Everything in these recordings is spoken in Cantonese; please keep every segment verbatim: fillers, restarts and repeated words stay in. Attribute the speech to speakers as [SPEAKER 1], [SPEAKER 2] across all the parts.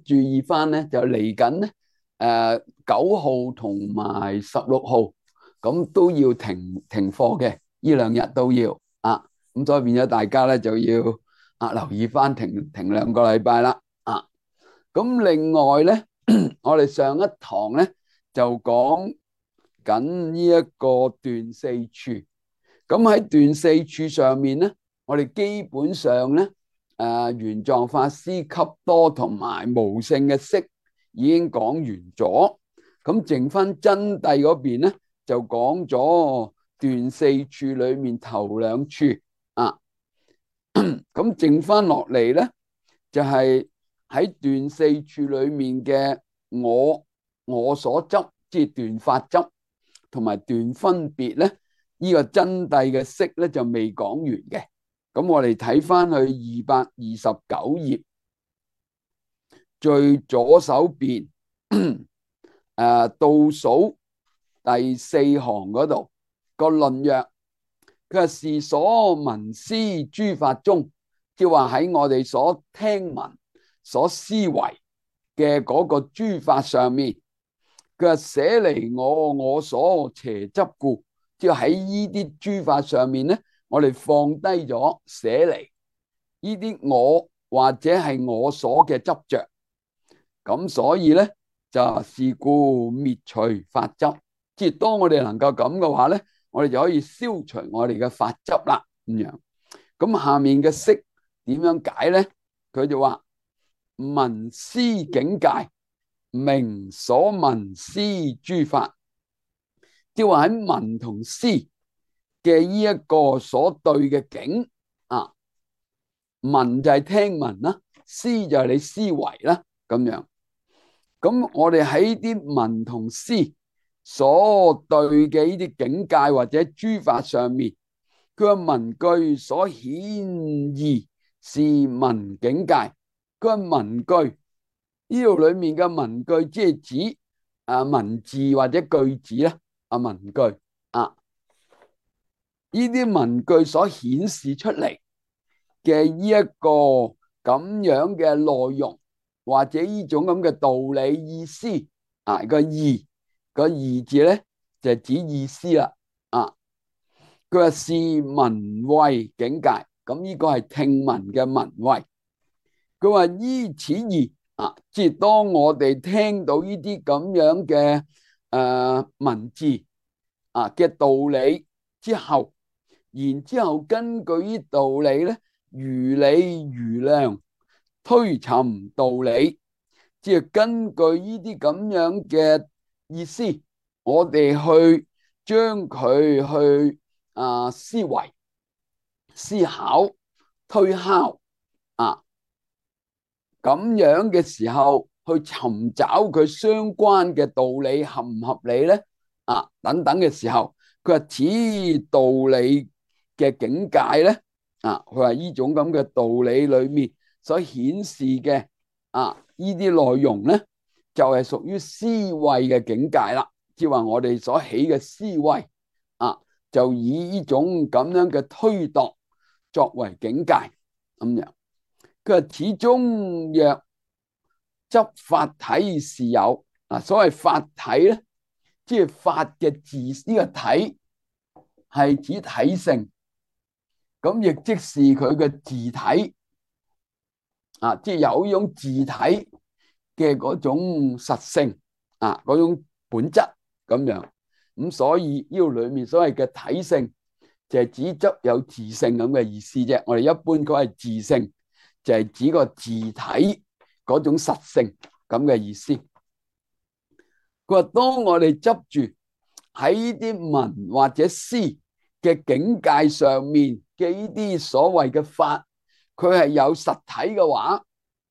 [SPEAKER 1] 注意翻咧，就嚟緊咧，誒九號同埋十六號，咁都要停停課嘅，呢兩日都要啊。咁所以變咗大家咧就要啊留意翻停停兩個禮拜啦啊。咁另外咧，我哋上一堂咧就講緊呢一個斷四處。咁喺斷四處上面咧，我哋基本上咧，誒玄奘法師笈多同埋無性嘅釋已經講完咗，咁剩翻真諦嗰邊咧就講咗斷四處裏面頭兩處啊，咁剩翻落嚟咧就係喺斷四處裏面嘅我我所執，即係斷法執同埋斷分別咧，呢個真諦嘅釋咧就未講完嘅。咁我哋睇翻去二百二十九頁最左手邊誒倒數第四行嗰度個論曰，佢話是所聞思諸法中，即係話喺我哋所聽聞所思維嘅嗰個諸法上面，佢話捨離我我所邪執故，即係喺呢啲諸法上面咧，我哋放低咗捨離呢啲我或者係我所嘅執着，咁所以咧就是故滅除法執，即係當我哋能夠咁嘅話咧，我哋就可以消除我哋嘅法執啦。咁樣，咁下面嘅釋點樣解咧？佢就話聞思境界，名所聞思諸法，即係話喺聞同思嘅呢一個所對嘅境啊，聞就係聽聞啦，思就係你思維啦，咁樣。咁我哋喺啲聞同思所對嘅呢啲境界或者諸法上面，佢話聞句所顯義是聞境界。佢話聞句呢度裏面嘅聞句，即係指啊文字或者句子啦，啊文句啊，呢啲文句所顯示出嚟嘅呢一個咁樣嘅內容，或者呢種咁嘅道理意思啊，個義個義字咧就係指意思啦啊。佢話是聞慧境界，咁呢個係聽聞嘅聞慧。佢話依此義啊，即係當我哋聽到呢啲咁樣嘅誒文字啊嘅道理之後，然之後根據呢道理咧，如理如量推尋道理，即係根據呢啲咁樣嘅意思，我哋去將佢去啊思維、思考、推敲啊，咁樣嘅時候去尋找佢相關嘅道理合唔合理咧？啊，等等嘅時候，佢話此道理嘅境界咧，啊，佢話呢種咁嘅道理裏面所顯示嘅啊，呢啲內容咧，就係屬於思維嘅境界啦。即係話我哋所起嘅思維啊，就以呢種咁樣嘅推度作為境界咁樣。佢話始終若執法體是有啊，所謂法體咧，即係法嘅字，呢個體係指體性，咁亦即是佢嘅自體啊，即係有一種自體嘅嗰種實性啊，嗰種本質咁樣。咁所以呢度裏面所謂嘅體性就係指執有自性咁嘅意思啫。我哋一般講係自性，就係指個自體嗰種實性咁嘅意思。佢話當我哋執住喺呢啲聞或者思嘅境界上面嘅呢啲所謂嘅法，佢係有實體嘅話，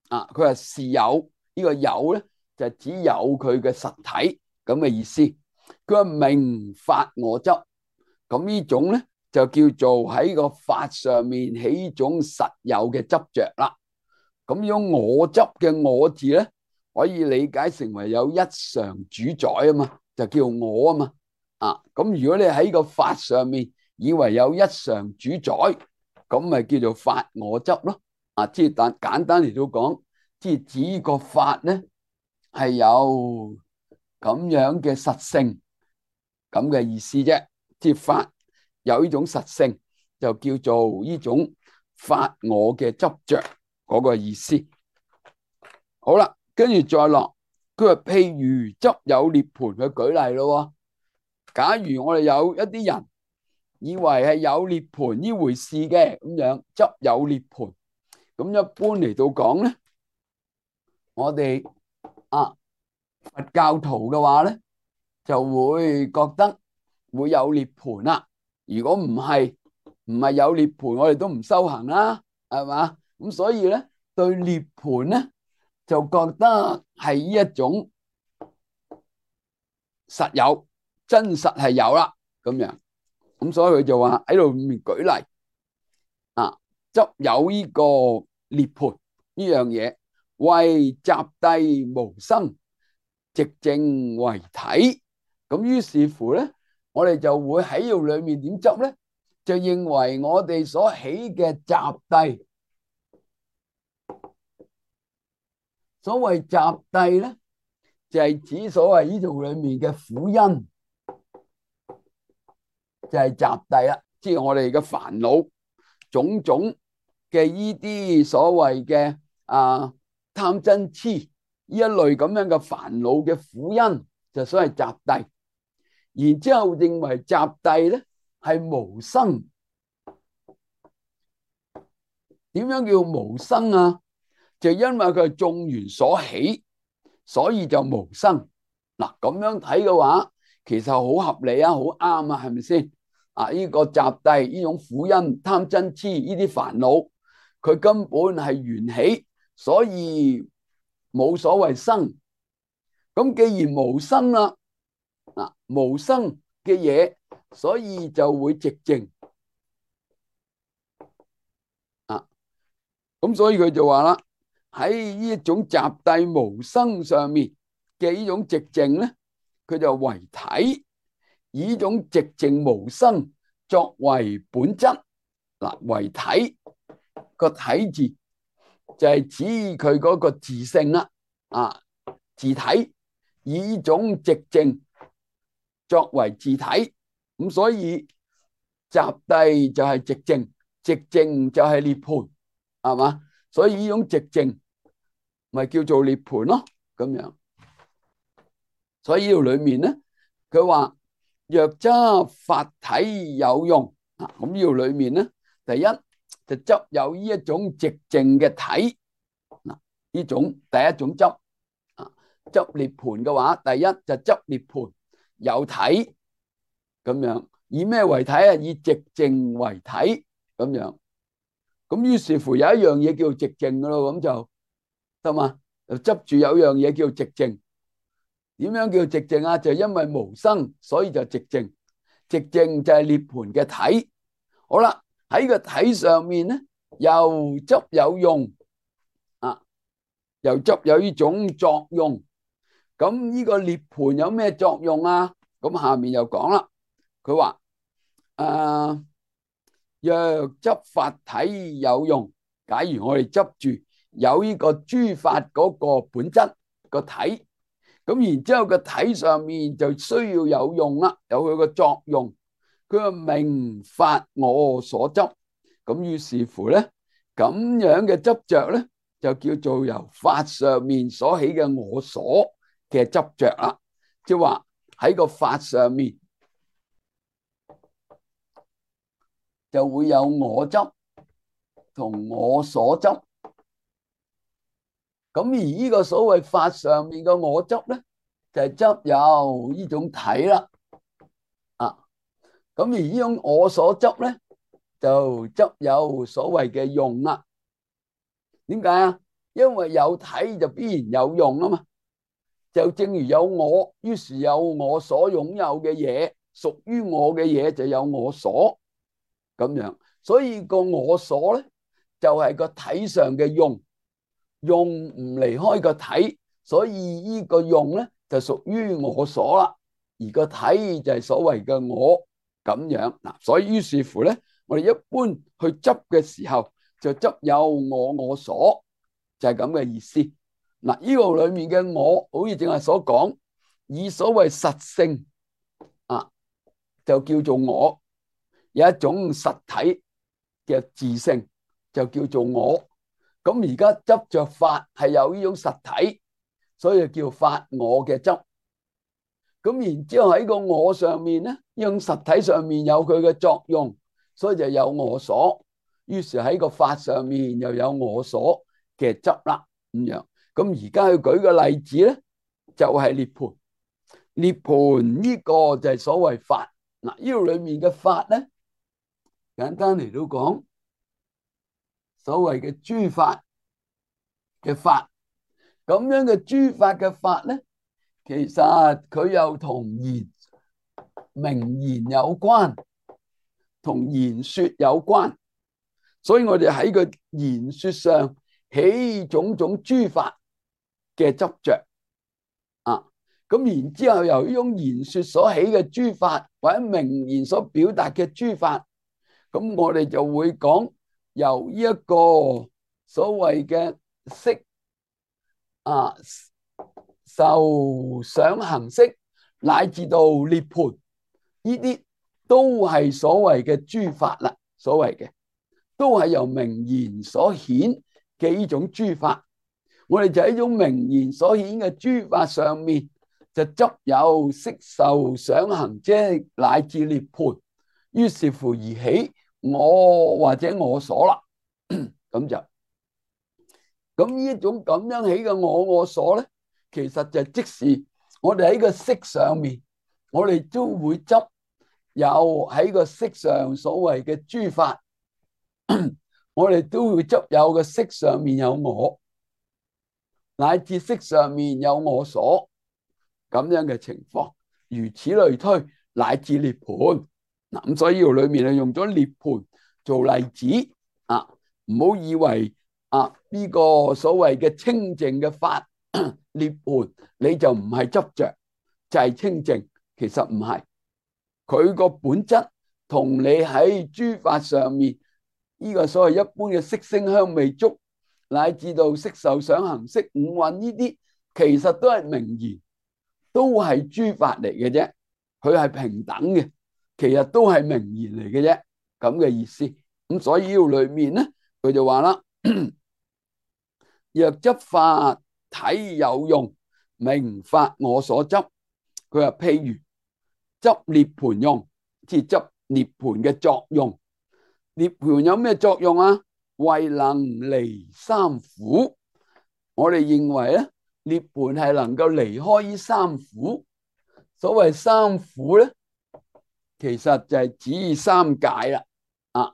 [SPEAKER 1] 啊，佢話是有，呢個有咧就只有佢嘅實體咁嘅意思。佢話名法我執，咁呢種咧就叫做喺個法上面起一種實有嘅執着啦。咁樣我執嘅我字咧，可以理解成為有一常主宰啊嘛，就叫我啊嘛。啊，咁如果你喺個法上面以為有一常主宰，咁咪叫做法我執咯。啊，即係但簡單嚟到講，即係指個法咧係有咁樣嘅實性咁嘅意思啫。即係法有呢種實性，就叫做呢種法我嘅執着嗰個意思。好啦，跟住再落，佢話譬如執有涅槃，去舉例咯。假如我哋有一啲人以為係有涅槃呢回事嘅，咁樣執有涅槃，咁一般嚟到講咧，我哋啊佛教徒嘅話咧，就會覺得會有涅槃啦。如果唔係唔係有涅槃，我哋都唔修行啦，係嘛？咁所以咧，對涅槃咧就覺得係一種實有，真實係有啦，咁樣。咁所以佢就話喺度面舉例啊，執有呢個涅槃呢樣嘢，為集諦無生，寂靜為體。咁於是乎咧，我哋就會喺度裏面點執咧？就認為我哋所起嘅集諦，所謂集諦咧，就係指所謂呢度裏面嘅苦因，就係集諦啦。即係我哋嘅煩惱種種嘅依啲所謂嘅啊貪嗔痴呢一類咁樣嘅煩惱嘅苦因，就所謂集諦。然之後認為集諦咧係無生。點樣叫無生啊？就因為佢係眾緣所起，所以就無生。嗱，咁樣睇嘅話，其實好合理啊，好啱啊，係咪先？啊，呢個集諦呢種苦因貪嗔痴呢啲煩惱，佢根本係緣起，所以冇所謂生。咁既然無生啦，啊，無生嘅嘢，所以就會寂靜。啊，咁所以佢就話啦，喺呢一種集諦無生上面嘅呢種寂靜咧，佢就為體。以呢種寂靜無生作為本質。嗱，為體個體字就係指佢嗰個自性啦，啊，自體，以呢種寂靜作為自體，咁所以集諦就係寂靜，寂靜就係涅槃，係嘛？所以呢種寂靜咪叫做涅槃咯，咁樣。所以呢度裏面咧，佢話若執法體有用，咁呢度裏面咧，第一就執有呢一種寂靜嘅體，嗱，呢種第一種執啊，執涅槃嘅話，第一就執涅槃有體咁樣，以咩為體啊？以寂靜為體咁樣，咁於是乎有一樣嘢叫寂靜噶咯，咁就得嘛？就執住有樣嘢叫寂靜。點樣叫寂靜啊？就因為無生，所以就寂靜。寂靜就係涅槃嘅體。好啦，喺個體上面咧，又執有用啊，又執有呢種作用。咁呢個涅槃有咩作用啊？咁下面又講啦，佢話誒，若執法體有用，假如我哋執住有呢個諸法嗰個本質個體。咁然之後個體上面就需要有用啦，有佢個作用。佢話名法我所執，咁於是乎咧，咁樣嘅執着咧，就叫做由法上面所起嘅我所嘅執着啦。即係話喺個法上面就會有我執同我所執。咁而呢個所謂法上面嘅我執咧，就係執有呢種體啦，啊，咁而呢種我所執咧，就執有所謂嘅用啦。點解啊？因為有體就必然有用啊嘛。就正如有我，於是有我所擁有嘅嘢，屬於我嘅嘢就有我所咁樣。所以個我所咧，就係個體上嘅用。用唔離開個體，所以呢個用咧就屬於我所啦，而個體就係所謂嘅我咁樣嗱。所以於是乎咧，我哋一般去執嘅時候就執有我我所，就係咁嘅意思。嗱，呢個裏面嘅我，好似正話所講，以所謂實性啊，就叫做我，有一種實體嘅自性，就叫做我。咁而家執着法係有呢種實體，所以叫法我嘅執。咁然之後喺個我上面咧，呢種實體上面有佢嘅作用，所以就有我所。於是喺個法上面又有我所嘅執啦，咁樣。咁而家去舉個例子咧，就係涅槃。涅槃呢個就係所謂法。嗱，呢度裏面嘅法咧，簡單嚟到講，所謂嘅諸法嘅法，咁樣嘅諸法嘅法咧，其實佢又同言名言有關，同言說有關，所以我哋喺個言說上起種種諸法嘅執着啊。咁然之後由呢種言說所起嘅諸法，或者名言所表達嘅諸法，咁我哋就會講由呢一個所謂嘅色啊、受、想、行、識，乃至到涅槃，呢啲都係所謂嘅諸法啦。所謂嘅都係由名言所顯嘅呢種諸法。我哋就喺呢種名言所顯嘅諸法上面，就執有色、受、想、行、識乃至涅槃，於是乎而起我或者我所啦。咁就咁呢一種咁樣起嘅我我所咧，其實就即是我哋喺個色上面，我哋都會執有喺個色上所謂嘅諸法，我哋都會執有個色上面有我，乃至色上面有我所，咁樣嘅情況，如此類推，乃至涅槃。嗱，咁所以呢度裏面係用咗涅槃做例子啊，唔好以為啊呢個所謂嘅清淨嘅法涅槃，你就唔係執着，就係清淨，其實唔係。佢個本質同你喺諸法上面呢個所謂一般嘅色聲香味觸，乃至到色受想行識五蘊呢啲，其實都係名言，都係諸法嚟嘅啫。佢係平等嘅，其實都係名言嚟嘅啫，咁嘅意思。咁所以呢度裏面咧，佢就話啦，若執法體有用，名法我所執。佢話譬如執涅槃用，即係執涅槃嘅作用。涅槃有咩作用啊？為能離三苦。我哋認為咧，涅槃係能夠離開呢三苦。所謂三苦咧，其實就係指三界啦。啊，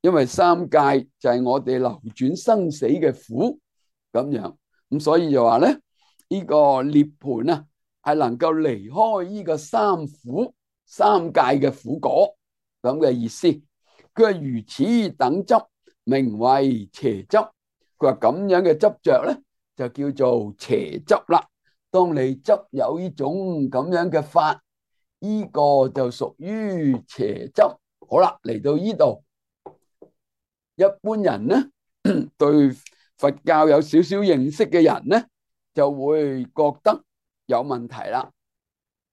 [SPEAKER 1] 因為三界就係我哋流轉生死嘅苦咁樣，咁所以就話咧，呢個涅槃啊，係能夠離開呢個三苦三界嘅苦果咁嘅意思。佢話如此等執，名為邪執。佢話咁樣嘅執着咧，就叫做邪執啦。當你執有呢種咁樣嘅法，呢個就屬於邪執。好啦，嚟到呢度，一般人咧對佛教有少少認識嘅人咧，就會覺得有問題啦。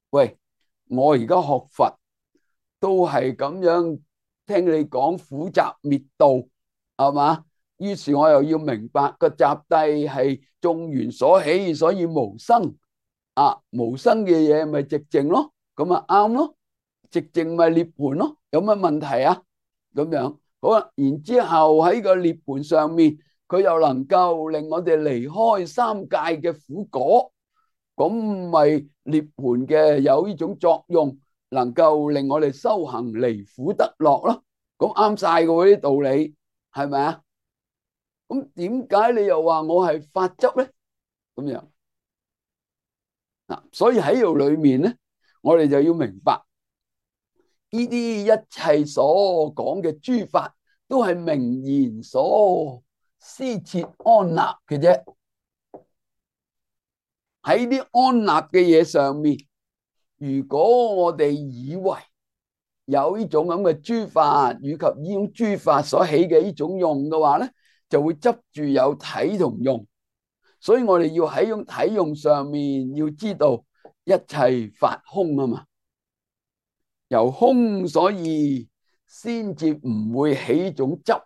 [SPEAKER 1] 喂，我而家學佛都係咁樣聽你講苦集滅道，係嘛？於是我又要明白個集諦係眾緣所起，所以無生啊，無生嘅嘢咪寂靜咯，咁啊啱咯，寂靜咪涅槃咯，有乜問題啊？咁樣好啦，然之後喺個涅槃上面，佢又能夠令我哋離開三界嘅苦果，咁咪涅槃嘅有呢種作用，能夠令我哋修行離苦得樂咯。咁啱晒嘅喎，啲道理係咪啊？咁點解你又話我係法執咧？咁樣嗱，所以喺度裏面咧，我哋就要明白呢啲一切所講嘅諸法，都係名言所施設安立嘅啫。喺啲安立嘅嘢上面，如果我哋以為有呢種咁嘅諸法，以及呢種諸法所起嘅呢種用嘅話咧，就會執住有體同用，所以我哋要喺用體用上面要知道一切法空啊嘛，由空所以先至唔會起一種執。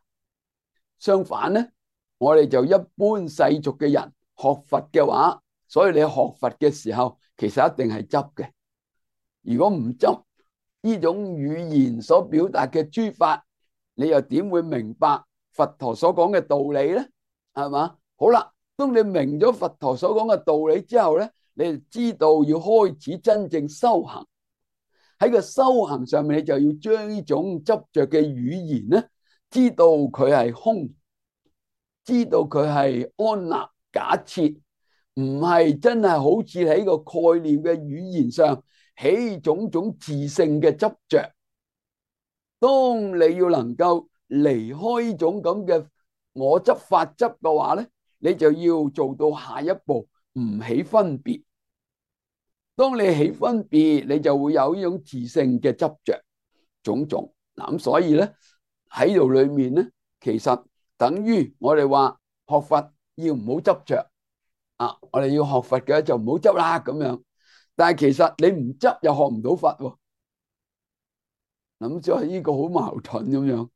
[SPEAKER 1] 相反咧，我哋就一般世俗嘅人學佛嘅話，所以你學佛嘅時候其實一定係執嘅。如果唔執呢種語言所表達嘅諸法，你又點會明白佛陀所講嘅道理咧？係嘛？好啦，當你明咗佛陀所講嘅道理之後咧，你就知道要開始真正修行。喺個修行上面，你就要將呢種執着嘅語言咧，知道佢係空，知道佢係安立假設，唔係真係好似喺個概念嘅語言上起種種自性嘅執着。當你要能夠離開呢種咁嘅我執法執嘅話咧，你就要做到下一步，唔起分別。當你起分別，你就會有呢種自性嘅執着種種。嗱，咁所以咧喺度裏面咧，其實等於我哋話學佛要唔好執着啊！我哋要學佛嘅就唔好執啦咁樣。但係其實你唔執又學唔到佛喎。咁所以呢個好矛盾咁樣。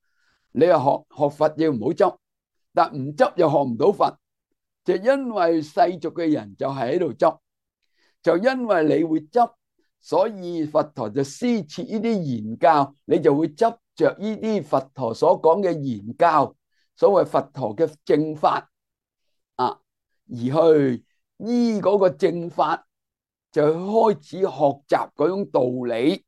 [SPEAKER 1] 你又學學佛要唔好執，但唔執又學唔到佛，就因為世俗嘅人就係喺度執。就因為你會執，所以佛陀就施設呢啲言教，你就會執着呢啲佛陀所講嘅言教，所謂佛陀嘅正法啊，而去依嗰個正法就開始學習嗰種道理。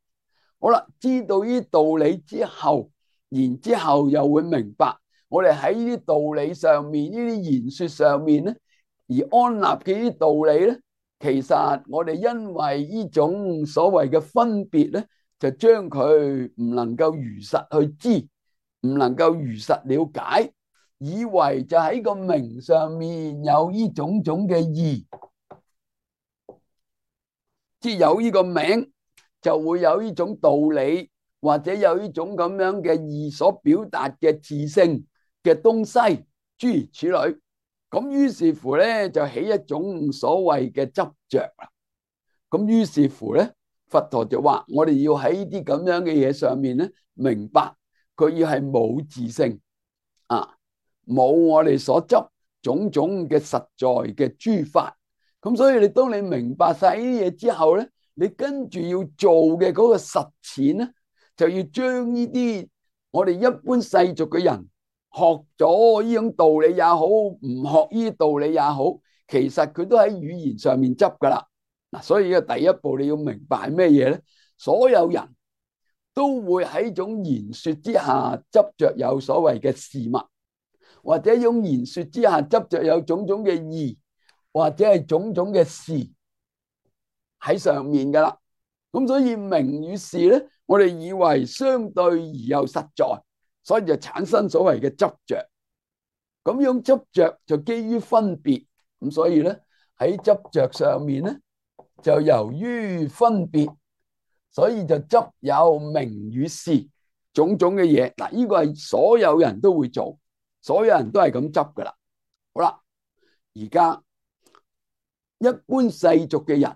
[SPEAKER 1] 好啦，知道呢啲道理之後，然之後又會明白，我哋喺呢啲道理上面，呢啲言說上面咧，而安立嘅呢啲道理咧。其實我哋因為呢種所謂嘅分別咧，就將佢唔能夠如實去知，唔能夠如實了解，以為就喺個名上面有呢種種嘅義，即係有呢個名就會有呢種道理，或者有呢種咁樣嘅義所表達嘅自性嘅東西，諸如此類。咁於是乎咧，就起一種所謂嘅執着啦。咁於是乎咧，佛陀就話：我哋要喺呢啲咁樣嘅嘢上面咧，明白佢要係冇自性啊，冇我哋所執種種嘅實在嘅諸法。咁所以你當你明白晒呢啲嘢之後咧，你跟住要做嘅嗰個實踐咧，就要將呢啲我哋一般世俗嘅人。學咗呢種道理也好，唔學呢啲道理也好，其實佢都喺語言上面執噶啦。嗱，所以呢個第一步你要明白係咩嘢咧？所有人都會喺種言說之下執着有所謂嘅事物，或者一種言說之下執着有種種嘅義，或者係種種嘅事喺上面噶啦。咁所以名與事咧，我哋以為相對而又實在。所以就產生所謂嘅執着，咁樣執着就基於分別，咁所以咧喺執着上面咧就由於分別，所以就執有名與事種種嘅嘢。嗱，呢個係所有人都會做，所有人都係咁執噶啦。好啦，而家一般世俗嘅人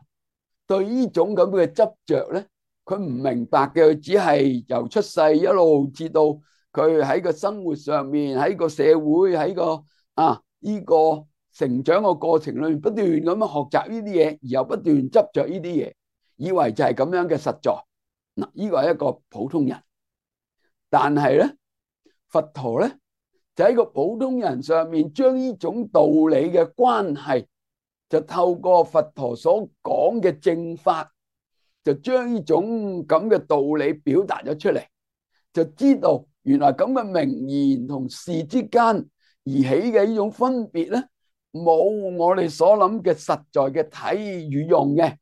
[SPEAKER 1] 對呢種咁嘅執着咧，佢唔明白嘅，佢只係由出世一路至到。佢喺個生活上面，喺個社會，喺個啊呢個成長嘅過程裏面，不斷咁樣學習呢啲嘢，而又不斷執着呢啲嘢，以為就係咁樣嘅實在。嗱，呢個係一個普通人，但係咧，佛陀咧就喺個普通人上面，將呢種道理嘅關係，就透過佛陀所講嘅正法，就將呢種咁嘅道理表達咗出嚟，就知道。原來咁嘅名言同事之間而起嘅呢種分別咧，冇我哋所諗嘅實在嘅體與用嘅。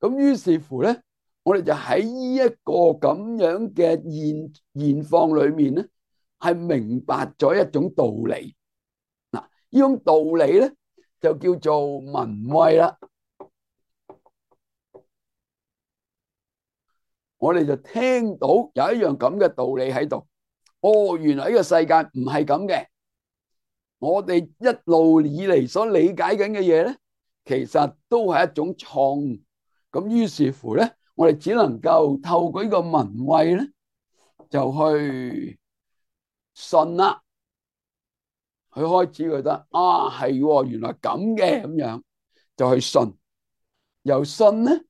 [SPEAKER 1] 咁於是乎咧，我哋就喺呢一個咁樣嘅現現況裏面咧，係明白咗一種道理。嗱，呢種道理咧就叫做聞慧啦。我哋就聽到有一樣咁嘅道理喺度。哦，原來呢個世界唔係咁嘅，我哋一路以嚟所理解緊嘅嘢咧，其實都係一種錯誤。咁於是乎咧，我哋只能夠透過呢個文慧咧，就去信啦。佢開始覺得啊，係原來咁嘅，咁樣就去信。由信咧，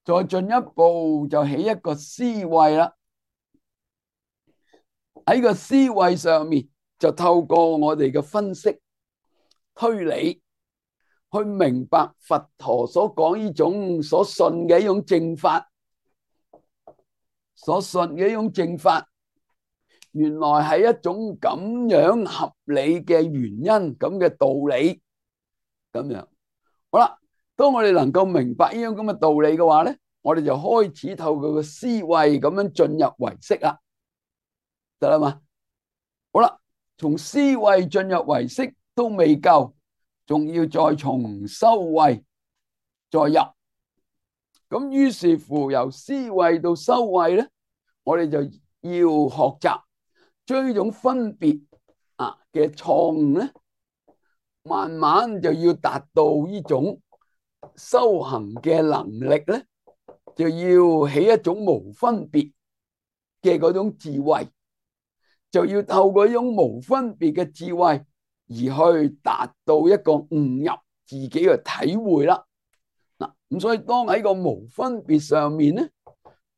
[SPEAKER 1] 再進一步就起一個思維啦。喺個思維上面，就透過我哋嘅分析推理，去明白佛陀所講呢種所信嘅一種正法，所信嘅一種正法，原來係一種咁樣合理嘅原因，咁嘅道理，咁樣好啦。當我哋能夠明白呢種咁嘅道理嘅話咧，我哋就開始透過個思維咁樣進入唯識啦，得啦嘛？好啦，從思維進入唯識都未夠，仲要再從修慧再入。咁於是乎由思維到修慧咧，我哋就要學習將呢種分別啊嘅錯誤咧，慢慢就要達到呢種修行嘅能力咧，就要起一種無分別嘅嗰種智慧，就要透過呢種無分別嘅智慧而去達到一個悟入自己嘅體會啦。嗱，咁所以當喺個無分別上面咧，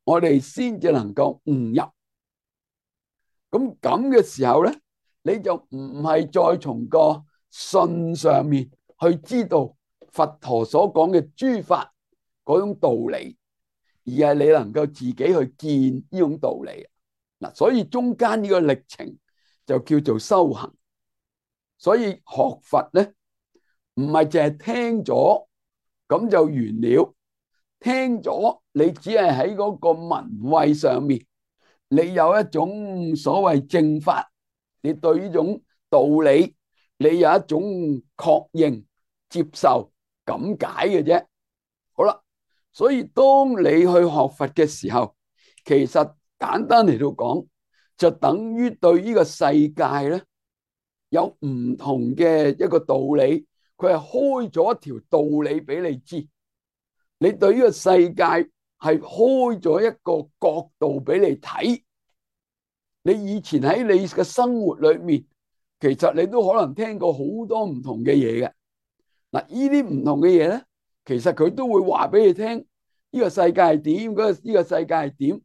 [SPEAKER 1] 我哋先至能夠悟入。咁咁嘅時候咧，你就唔係再從個信上面去知道佛陀所講嘅諸法嗰種道理，而係你能夠自己去見呢種道理。嗱，所以中間呢個歷程就叫做修行。所以學佛咧，唔係淨係聽咗咁就完了，聽咗你只係喺嗰個文慧上面，你有一種所謂正法，你對呢種道理你有一種確認接受咁解嘅啫。好啦，所以當你去學佛嘅時候，其實簡單嚟到講，就等於對呢個世界咧有唔同嘅一個道理，佢係開咗一條道理俾你知。你對呢個世界係開咗一個角度俾你睇。你以前喺你嘅生活裏面，其實你都可能聽過好多唔同嘅嘢嘅。嗱，呢啲唔同嘅嘢咧，其實佢都會話俾你聽，呢個世界係點，嗰個呢個世界係點，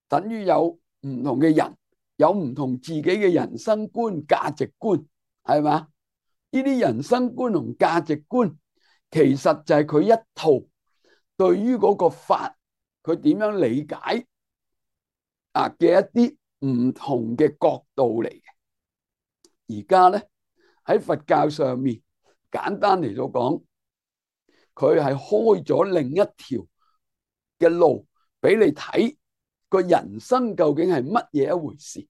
[SPEAKER 1] 等於有唔同嘅人，有唔同自己嘅人生觀、價值觀，係嘛？呢啲人生觀同價值觀，其實就係佢一套對於嗰個法，佢點樣理解啊嘅一啲唔同嘅角度嚟嘅。而家咧喺佛教上面，簡單嚟到講，佢係開咗另一條嘅路俾你睇，個人生究竟係乜嘢一回事。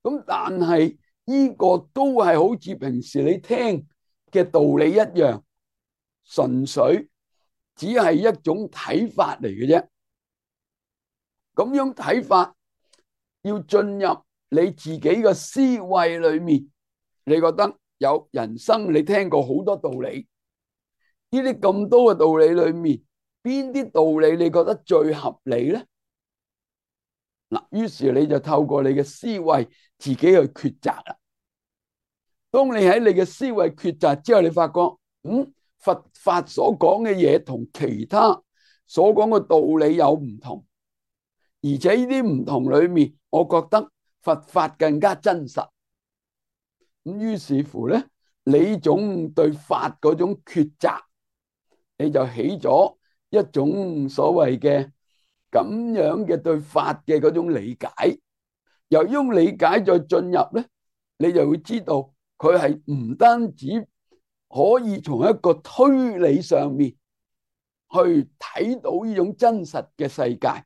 [SPEAKER 1] 咁但係呢個都係好似平時你聽嘅道理一樣，純粹只係一種睇法嚟嘅啫。咁樣睇法要進入你自己嘅思維裏面，你覺得有人生你聽過好多道理，呢啲咁多嘅道理裏面，邊啲道理你覺得最合理咧？嗱，於是你就透過你嘅思維自己去抉擇啦。當你喺你嘅思維抉擇之後，你發覺，嗯，佛法所講嘅嘢同其他所講嘅道理有唔同，而且呢啲唔同裏面，我覺得佛法更加真實。咁於是乎咧，你種對法嗰種抉擇，你就起咗一種所謂嘅咁樣嘅對法嘅嗰種理解。由於用理解再進入咧，你就會知道佢係唔單止可以從一個推理上面去睇到呢種真實嘅世界，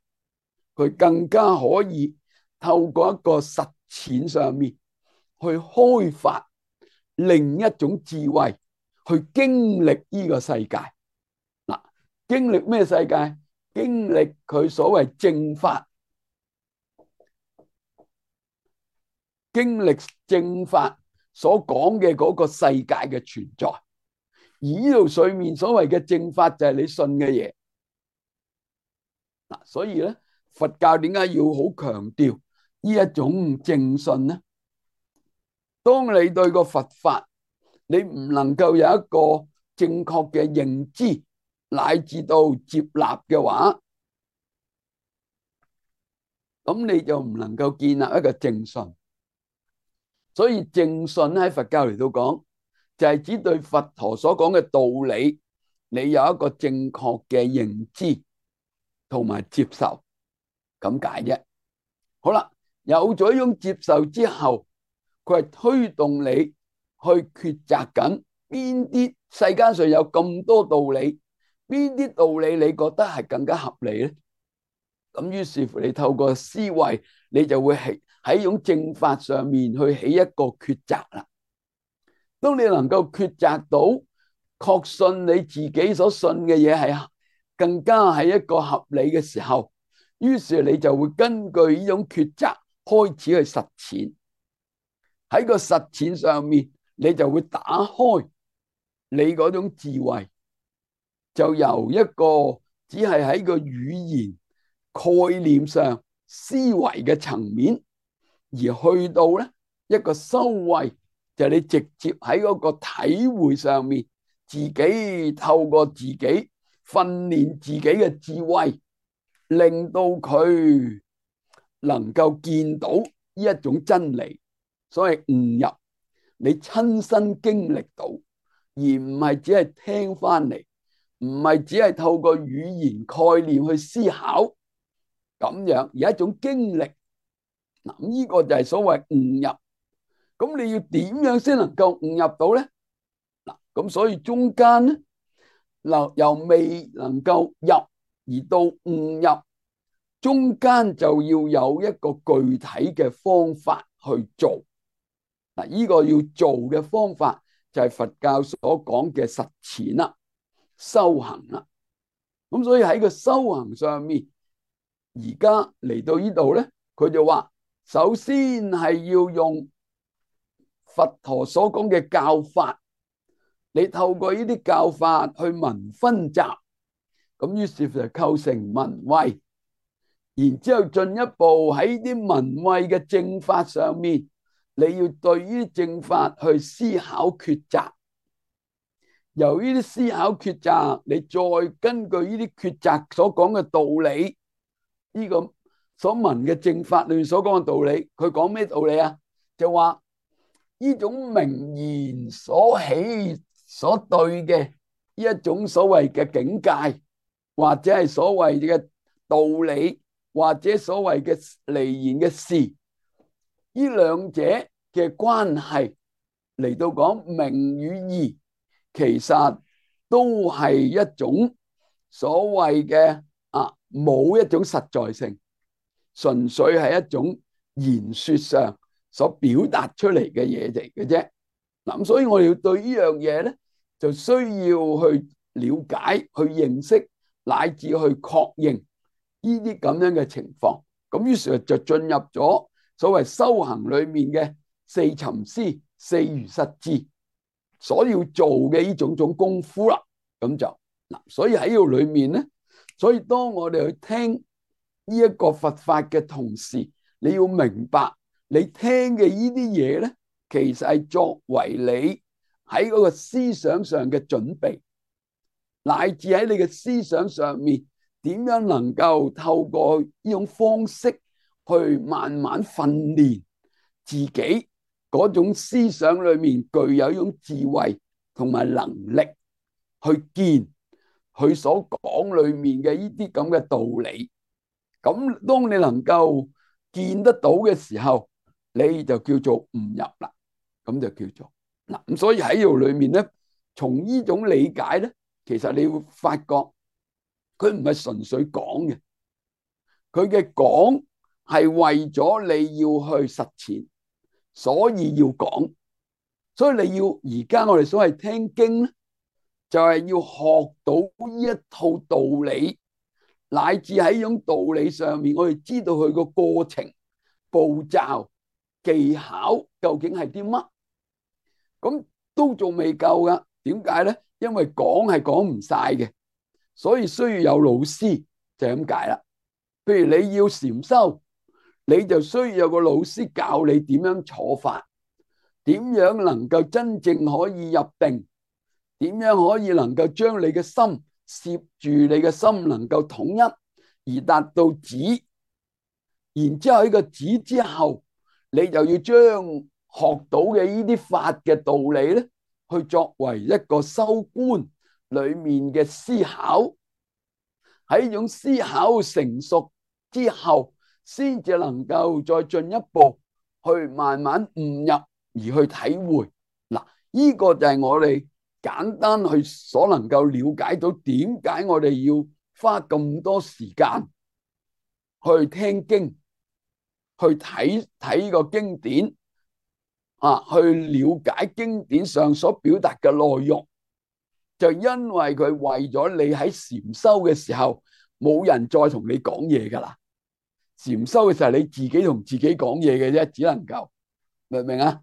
[SPEAKER 1] 佢更加可以透過一個實踐上面去開發另一種智慧，去經歷呢個世界。嗱，經歷咩世界？經歷佢所謂正法，經歷正法所講嘅嗰個世界嘅存在。而呢度上面所謂嘅正法就係你信嘅嘢。嗱，所以咧，佛教點解要好強調呢一種正信呢？當你對個佛法你唔能夠有一個正確嘅認知乃至到接納嘅話，咁你就唔能夠建立一個正信。所以正信喺佛教嚟到講，就係指對佛陀所講嘅道理，你有一個正確嘅認知同埋接受，咁解啫。好啦，有咗一種接受之後，佢係推動你去抉擇緊邊啲世間上有咁多道理，邊啲道理你覺得係更加合理咧？咁於是乎你透過思維，你就會喺喺一種正法上面去起一個抉擇啦。當你能夠抉擇到確信你自己所信嘅嘢係更加係一個合理嘅時候，於是你就會根據呢種抉擇開始去實踐。喺個實踐上面，你就會打開你嗰種智慧，就由一個只係喺個語言概念上思維嘅層面，而去到咧一個修慧，就係你直接喺嗰個體會上面，自己透過自己訓練自己嘅智慧，令到佢能夠見到呢一種真理。所謂悟入，你親身經歷到，而唔係只係聽翻嚟，唔係只係透過語言概念去思考咁樣，而一種經歷。嗱，呢個就係所謂悟入。咁你要點樣先能夠悟入到咧？嗱，咁所以中間咧，嗱由未能夠入而到悟入，中間就要有一個具體嘅方法去做。嗱，呢個要做嘅方法就係佛教所講嘅實踐啦、修行啦。咁所以喺個修行上面，而家嚟到呢度咧，佢就話，首先係要用佛陀所講嘅教法，你透過呢啲教法去聞分集，咁於是就構成聞慧。然之後進一步喺啲聞慧嘅正法上面，你要對於正法去思考抉擇，由於啲思考抉擇，你再根據呢啲抉擇所講嘅道理，呢個所聞嘅正法裏面所講嘅道理，佢講咩道理啊？就話呢種名言所起所對嘅呢一種所謂嘅境界，或者係所謂嘅道理，或者所謂嘅離言嘅事，呢兩者嘅關係嚟到講名與義，其實都係一種所謂嘅啊，冇一種實在性，純粹係一種言說上所表達出嚟嘅嘢嚟嘅啫。咁所以我哋要對呢樣嘢咧，就需要去了解、去認識，乃至去確認呢啲咁樣嘅情況。咁於是就進入咗所謂修行裏面嘅四尋思、四如實智所要做嘅呢種種功夫啦。咁就嗱，所以喺呢度裏面咧，所以當我哋去聽呢一個佛法嘅同時，你要明白你聽嘅呢啲嘢咧，其實係作為你喺嗰個思想上嘅準備，乃至喺你嘅思想上面點樣能夠透過呢種方式去慢慢訓練自己嗰種思想裏面具有一種智慧同埋能力去見佢所講裏面嘅呢啲咁嘅道理。咁當你能夠見得到嘅時候，你就叫做悟入啦。咁就叫做嗱，咁所以喺呢度裏面咧，從呢種理解咧，其實你會發覺佢唔係純粹講嘅，佢嘅講係為咗你要去實踐，所以要講。所以你要而家我哋所謂聽經咧，就係要學到呢一套道理，乃至喺呢種道理上面，我哋知道佢個過程、步驟、技巧究竟係啲乜。咁都仲未夠噶。點解咧？因為講係講唔晒嘅，所以需要有老師，就係咁解啦。譬如你要禪修，你就需要有個老師教你點樣坐法，點樣能夠真正可以入定，點樣可以能夠將你嘅心攝住，你嘅心能夠統一而達到止。然之後喺個止之後，你就要將學到嘅呢啲法嘅道理咧，去作為一個修觀裏面嘅思考。喺呢種思考成熟之後，先至能夠再進一步去慢慢悟入而去體會。嗱，呢個就係我哋簡單去所能夠了解到點解我哋要花咁多時間去聽經，去睇睇個經典啊，去了解經典上所表達嘅內容。就因為佢為咗你喺禪修嘅時候，冇人再同你講嘢噶啦。禪修嘅時候，你自己同自己講嘢嘅啫，只能夠，明唔明啊？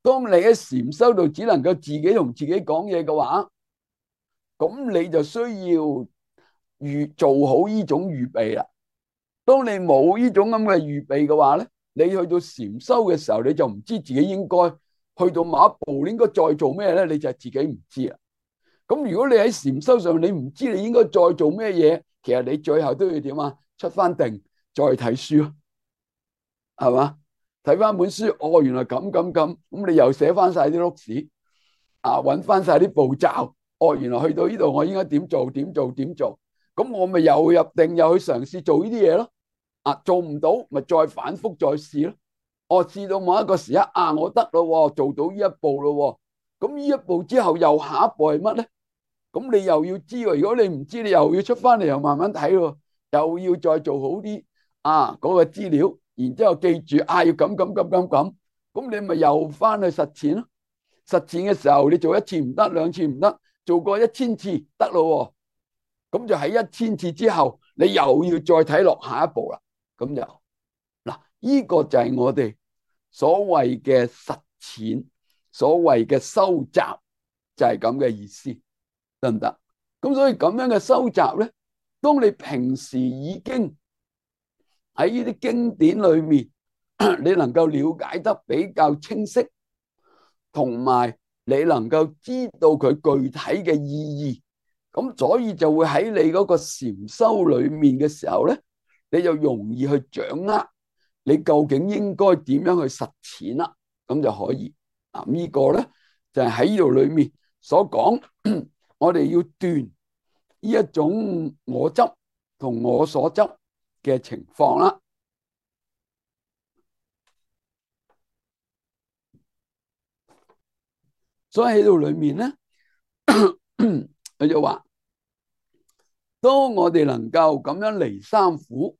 [SPEAKER 1] 當你喺禪修度只能夠自己同自己講嘢嘅話，咁你就需要預做好呢種預備啦。當你冇呢種咁嘅預備嘅話咧，你去到禪修嘅時候，你就唔知自己應該去到某一步，你應該再做咩咧，你就自己唔知啦。咁如果你喺禪修上，你唔知你應該再做咩嘢，其實你最後都要點啊？出翻定再睇書咯，係嘛？睇翻本書，哦，原來咁咁咁，咁你又寫翻晒啲碌屎啊，揾翻晒啲步驟，哦，原來去到呢度我應該點做點做點做，咁我咪又入定又去嘗試做呢啲嘢咯。啊，做唔到咪再反覆再試咯。我試到某一個時刻啊，我得咯，做到呢一步咯。咁呢一步之後又下一步係乜咧？咁你又要知喎，如果你唔知，你又要出翻嚟又慢慢睇喎，又要再做好啲啊嗰個資料，然之後記住啊要咁咁咁咁咁，咁你咪又翻去實踐咯。實踐嘅時候，你做一次唔得，兩次唔得，做過一千次得咯。咁就喺一千次之後，你又要再睇落下一步啦。咁就嗱，呢個就係我哋所謂嘅實踐，所謂嘅收集，就係咁嘅意思。得唔得？咁所以咁樣嘅收集咧，當你平時已經喺呢啲經典裏面，你能夠了解得比較清晰，同埋你能夠知道佢具體嘅意義，咁所以就會喺你嗰個禪修裏面嘅時候咧，你就容易去掌握你究竟應該點樣去實踐啦，咁就可以。嗱，呢個咧就係喺呢度裏面所講。我哋要斷呢一種我執同我所執嘅情況啦。所以喺度裏面咧，佢就話：當我哋能夠咁樣離三苦，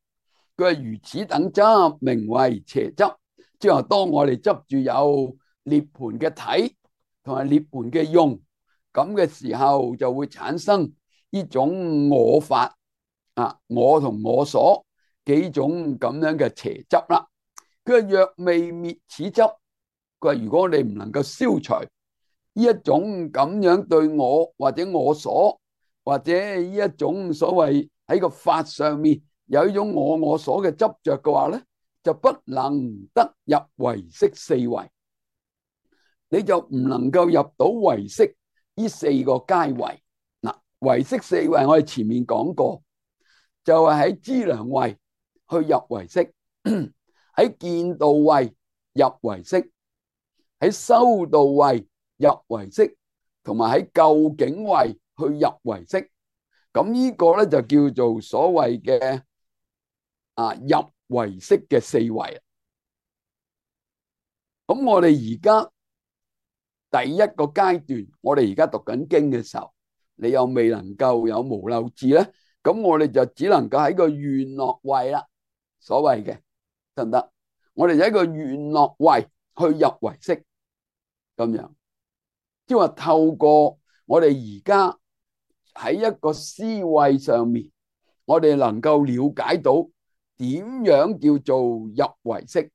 [SPEAKER 1] 佢係如此等執，名為邪執。即係話，當我哋執住有涅槃嘅體同埋涅槃嘅用，咁嘅時候就會產生呢種我法啊，我同我所幾種咁樣嘅邪執啦。佢話若未滅此執，佢話如果我哋唔能夠消除呢一種咁樣對我或者我所或者呢一種所謂喺個法上面有呢種我我所嘅執着嘅話咧，就不能得入唯識四位，你就唔能夠入到唯識呢四個階位。嗱，唯識四位我哋前面講過，就係喺資糧位去入唯識，喺見道位入唯識，喺修道位入唯識，同埋喺究竟位去入唯識。咁呢個咧就叫做所謂嘅啊入唯識嘅四位。咁我哋而家第一個階段，我哋而家讀緊經嘅時候，你又未能夠有無漏智咧，咁我哋就只能夠喺個願樂位啦，所謂嘅得唔得？我哋喺個願樂位去入唯識，咁樣即係話透過我哋而家喺一個思維上面，我哋能夠了解到點樣叫做入唯識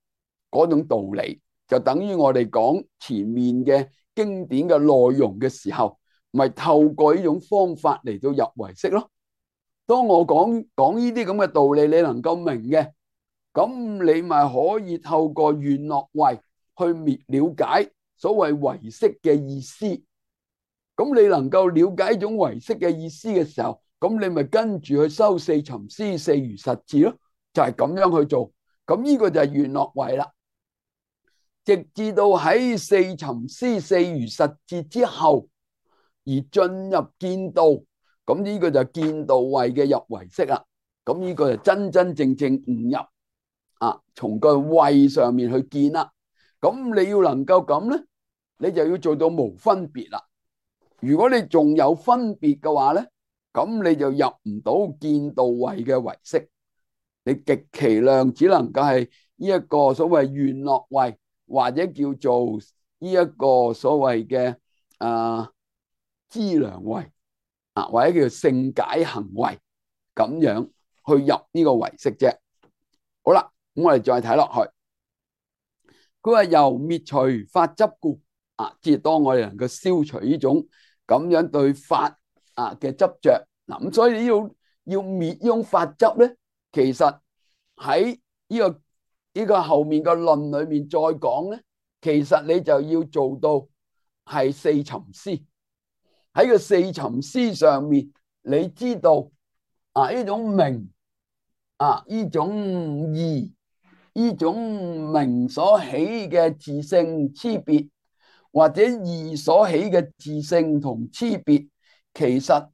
[SPEAKER 1] 嗰種道理，就等於我哋講前面嘅經典嘅內容嘅時候，咪透過呢種方法嚟到入唯識咯。當我講講呢啲咁嘅道理，你能夠明嘅，咁你咪可以透過願樂位去滅了解所謂唯識嘅意思。咁你能夠了解一種唯識嘅意思嘅時候，咁你咪跟住去修四尋思四如實智咯，就係咁樣去做。咁呢個就係願樂位啦。直至到喺四尋思四如實智之後，而進入見道，咁呢個就見道位嘅入唯識啦。咁呢個就真真正正悟入啊，從個位上面去見啦。咁你要能夠咁咧，你就要做到無分別啦。如果你仲有分別嘅話咧，咁你就入唔到見道位嘅唯識，你極其量只能夠係呢一個所謂願樂位，或者叫做呢一個所謂嘅啊資糧位啊，或者叫做勝解行位，咁樣去入呢個唯識啫。好啦，咁我哋再睇落去，佢話由滅除法執故啊，即係當我哋能夠消除呢種咁樣對法啊嘅執着，嗱，咁所以要要滅呢種法執咧，其實喺呢個呢個後面嘅論裏面再講咧，其實你就要做到係四尋思。喺個四尋思上面，你知道啊呢種名啊呢種義呢種名所起嘅自性差別，或者義所起嘅自性同差別，其實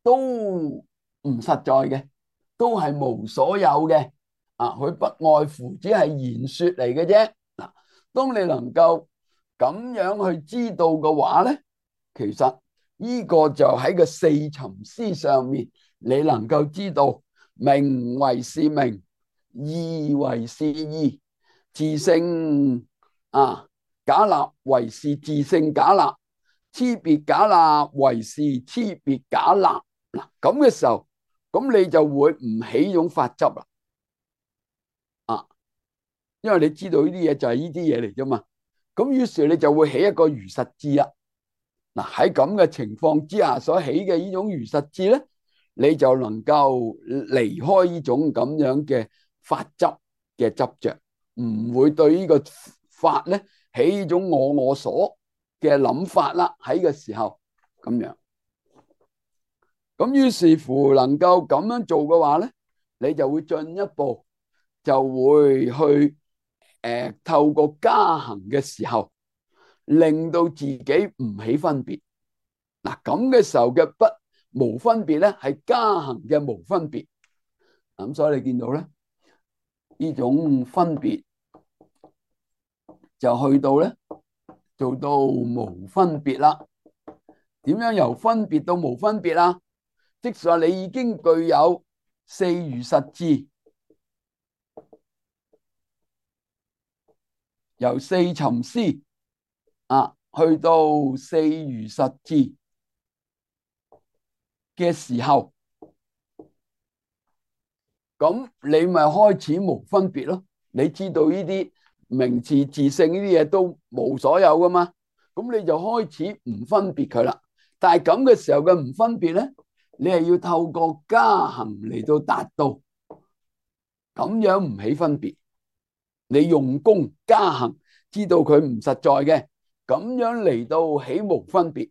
[SPEAKER 1] 都唔實在嘅，都係無所有嘅。啊，佢不外乎只係言說嚟嘅啫。嗱，當你能夠咁樣去知道嘅話咧，其實呢個就喺個四尋思上面，你能夠知道名為是名，義為是義，自性啊假立為是自性假立，差別假立為是差別假立。嗱，咁嘅時候，咁你就會唔起種法執啦。啊，因為你知道呢啲嘢就係呢啲嘢嚟啫嘛。咁於是你就會起一個如實智啦。嗱，喺咁嘅情況之下所起嘅呢種如實智咧，你就能夠離開呢種咁樣嘅法執嘅執着，唔會對呢個法咧起呢種我我所嘅諗法啦。喺嘅時候咁樣，咁於是乎能夠咁樣做嘅話咧，你就會進一步就會去誒、呃、透過加行嘅時候，令到自己唔起分別。嗱，咁嘅時候嘅不無分別咧，係加行嘅無分別。咁所以你見到咧，呢種分別就去到咧做到無分別啦。點樣由分別到無分別啦？即係話你已經具有四如實智，由四尋思啊去到四如實智嘅時候，咁你咪開始無分別咯。你知道呢啲名詞自性呢啲嘢都無所有噶嘛，咁你就開始唔分別佢啦。但係咁嘅時候嘅唔分別咧，你係要透過加行嚟到達到，咁樣唔起分別。你用功加行，知道佢唔實在嘅，咁樣嚟到起無分別。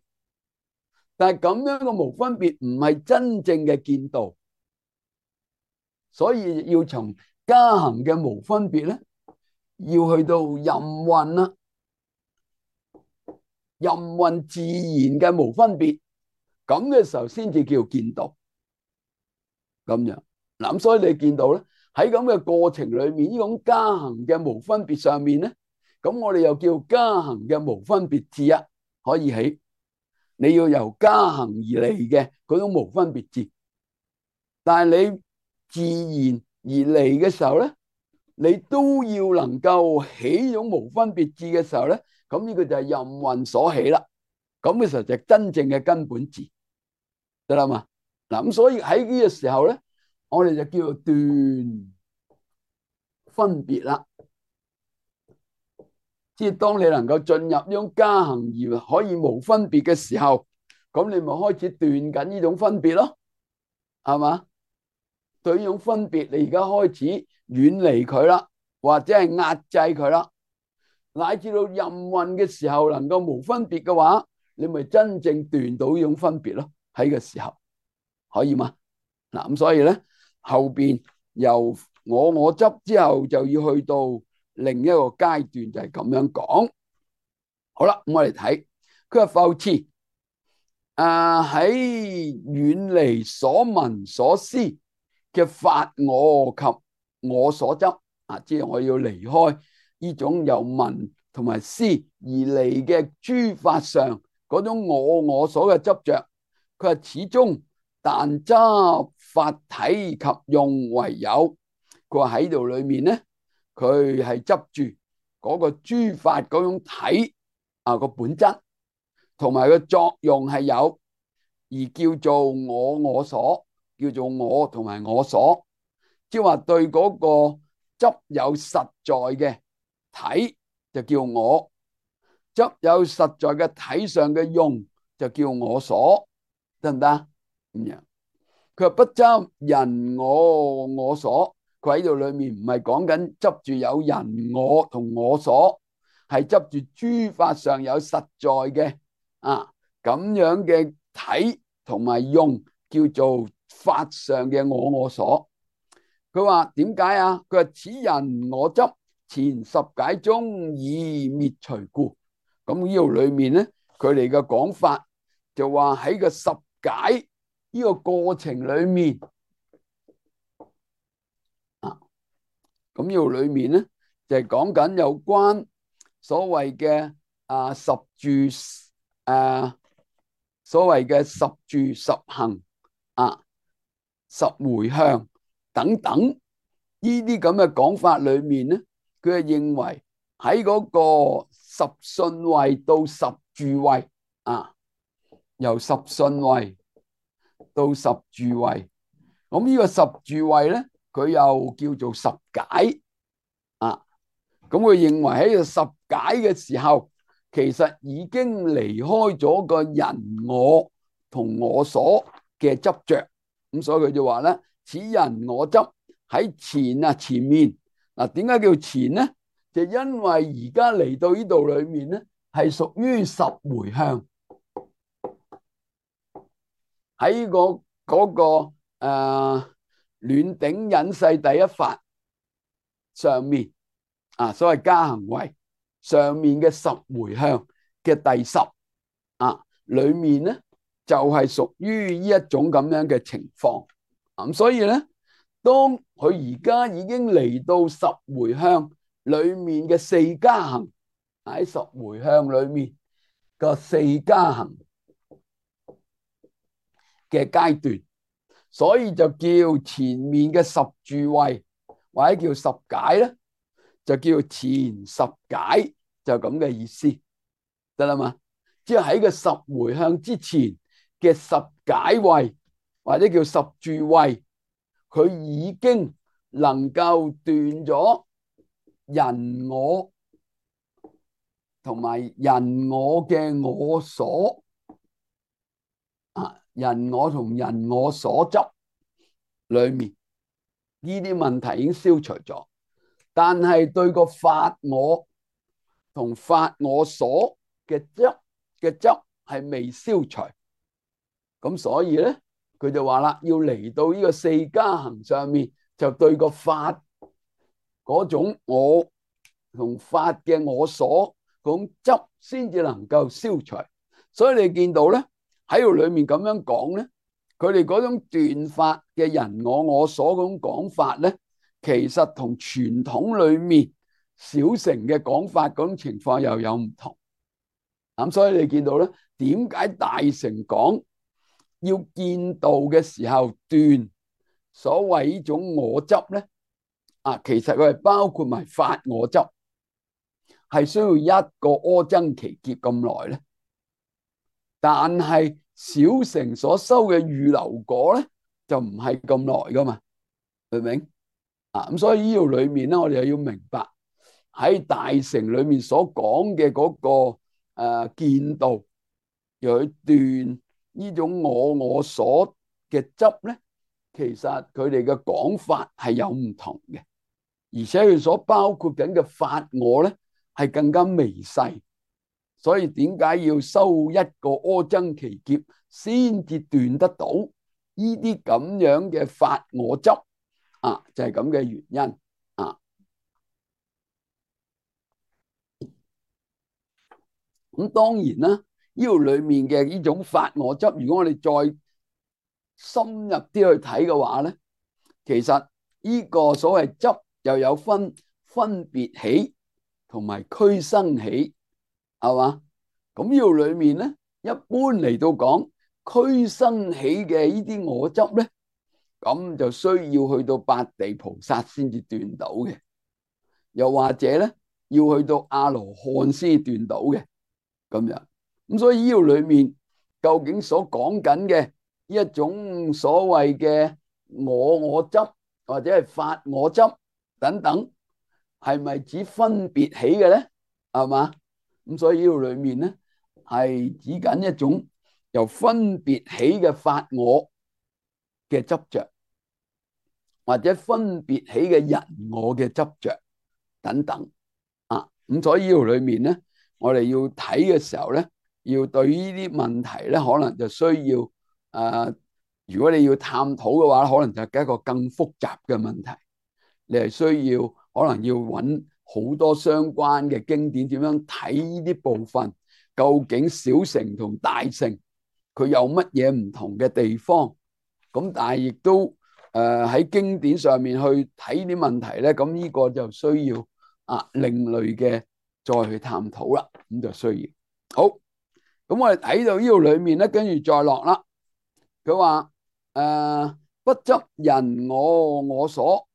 [SPEAKER 1] 但係咁樣嘅無分別唔係真正嘅見道，所以要從加行嘅無分別咧，要去到任運啦，任運自然嘅無分別，咁嘅時候先至叫見道。咁樣嗱，咁所以你見到咧，喺咁嘅過程裏面，呢種加行嘅無分別上面咧，咁我哋又叫加行嘅無分別智啊，可以起。你要由加行而嚟嘅嗰種無分別智，但係你自然而嚟嘅時候咧，你都要能夠起種無分別智嘅時候咧，咁呢個就係任運所起啦。咁嘅時候就係真正嘅根本智，得啦嘛。嗱，咁所以喺呢個時候咧，我哋就叫做斷分別啦。即係當你能夠進入呢種加行而可以無分別嘅時候，咁你咪開始斷緊呢種分別咯，係嘛？對呢種分別，你而家開始遠離佢啦，或者係壓制佢啦，乃至到任運嘅時候能夠無分別嘅話，你咪真正斷到呢種分別咯。喺個時候可以嗎？嗱，咁所以咧後邊由我我執之後就要去到另一個階段，就係咁樣講。好啦，咁我哋睇佢話復次啊，喺遠離所聞所思嘅法我及我所執啊，即係我要離開呢種由聞同埋思而嚟嘅諸法上嗰種我我所嘅執着。佢話始終但執法體及用為有。佢話喺度裏面咧，佢係執住嗰個諸法嗰種體啊個本質，同埋個作用係有，而叫做我我所，叫做我同埋我所，即係話對嗰個執有實在嘅體就叫我，執有實在嘅體上嘅用就叫我所，得唔得？咁樣佢話不執人我我所。佢喺度裏面唔係講緊執住有人我同我所，係執住諸法上有實在嘅啊咁樣嘅體同埋用，叫做法上嘅我我所。佢話點解啊？佢話此人我執前十解中已滅除故。咁呢度裏面咧，佢哋嘅講法就話喺個十解呢個過程裏面。咁呢度裏面咧就係講緊有關所謂嘅啊十住啊，所謂嘅十住十行啊十回向等等呢啲咁嘅講法裏面咧，佢係認為喺嗰個十信位到十住位啊，由十信位到十住位，咁呢個十住位咧，佢又叫做十解啊，咁佢認為喺個十解嘅時候，其實已經離開咗個人我同我所嘅執着，咁所以佢就話咧，此人我執喺前啊前面嗱，點解叫前咧？就因為而家嚟到呢度裏面咧，係屬於十回向喺個嗰個誒。呃暖頂隱世第一法上面啊，所謂加行位上面嘅十回向嘅第十啊，裏面咧就係屬於呢一種咁樣嘅情況。咁所以咧，當佢而家已經嚟到十回向裏面嘅四加行，喺十回向裏面個四加行嘅階段。所以就叫前面嘅十住位或者叫十解咧，就叫前十解，就咁嘅意思，得啦嘛？即係喺個十回向之前嘅十解位或者叫十住位，佢已經能夠斷咗人我同埋人我嘅我所啊。人我同人我所執裏面呢啲問題已經消除咗，但係對個法我同法我所嘅執嘅執係未消除，咁所以咧佢就話啦，要嚟到呢個四加行上面，就對個法嗰種我同法嘅我所嗰種執先至能夠消除。所以你見到咧，喺度裏面咁樣講咧，佢哋嗰種斷法嘅人我我所嗰種講法咧，其實同傳統裏面小乘嘅講法嗰種情況又有唔同。咁所以你見到咧，點解大乘講要見道嘅時候斷所謂呢種我執咧？啊，其實佢係包括埋法我執，係需要一個阿僧祇劫咁耐咧。但係小乘所收嘅預流果咧，就唔係咁耐噶嘛，明唔明？啊，咁所以呢度裏面咧，我哋又要明白喺大乘裏面所講嘅嗰個誒見道，又去斷呢種我我所嘅執咧，其實佢哋嘅講法係有唔同嘅，而且佢所包括緊嘅法我咧係更加微細，所以點解要修一個阿僧祇劫先至斷得到呢啲咁樣嘅法我執啊？就係咁嘅原因啊。咁當然啦，呢度裏面嘅呢種法我執，如果我哋再深入啲去睇嘅話咧，其實呢個所謂執又有分分別起同埋俱生起，係嘛？咁呢度裏面咧，一般嚟到講俱生起嘅呢啲我執咧，咁就需要去到八地菩薩先至斷到嘅，又或者咧要去到阿羅漢先至斷到嘅咁樣。咁所以呢度裏面究竟所講緊嘅呢一種所謂嘅我我執或者係法我執等等，係咪指分別起嘅咧？係嘛？咁所以呢度裏面咧係指緊一種由分別起嘅法我嘅執着，或者分別起嘅人我嘅執着等等啊。咁所以呢度裏面咧，我哋要睇嘅時候咧，要對呢啲問題咧，可能就需要誒、呃，如果你要探討嘅話，可能就係一個更複雜嘅問題。你係需要可能要揾好多相關嘅經典，點樣睇呢啲部分？究竟小乘同大乘佢有乜嘢唔同嘅地方？咁但係亦都誒喺經典上面去睇啲問題咧，咁呢個就需要啊另類嘅再去探討啦。咁就需要好。咁我哋睇到呢度裏面咧，跟住再落啦。佢話誒不執人我我所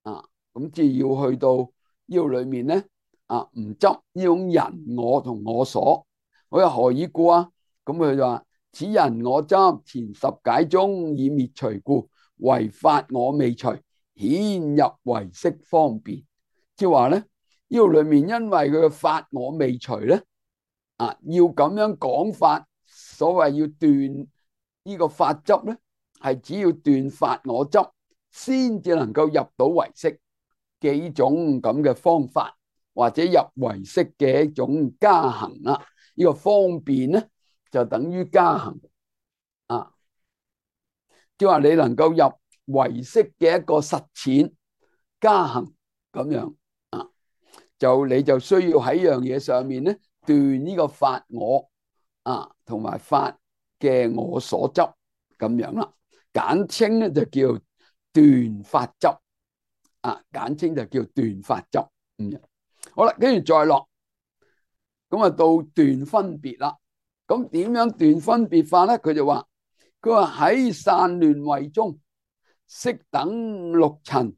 [SPEAKER 1] 啊，咁即係要去到呢度裏面咧啊，唔執呢種人我同我所。我又何以故啊？咁佢就話此人我執前十解中已滅除故，唯法我未除，顯入唯識方便。即係話咧，呢度裏面因為佢嘅法我未除咧。啊，要咁樣講法，所謂要斷呢個法執咧，係只要斷法我執，先至能夠入到唯識嘅呢種咁嘅方法，或者入唯識嘅一種加行啦。呢個方便咧，就等於加行啊，即係話你能夠入唯識嘅一個實踐加行咁樣啊，就你就需要喺樣嘢上面咧。斷呢個法我啊，同埋法嘅我所執咁樣啦，簡稱咧就叫斷法執啊，簡稱就叫斷法執。嗯，好啦，跟住再落，咁啊到斷分別啦。咁點樣斷分別法咧？佢就話，佢話喺散亂位中，悉等六塵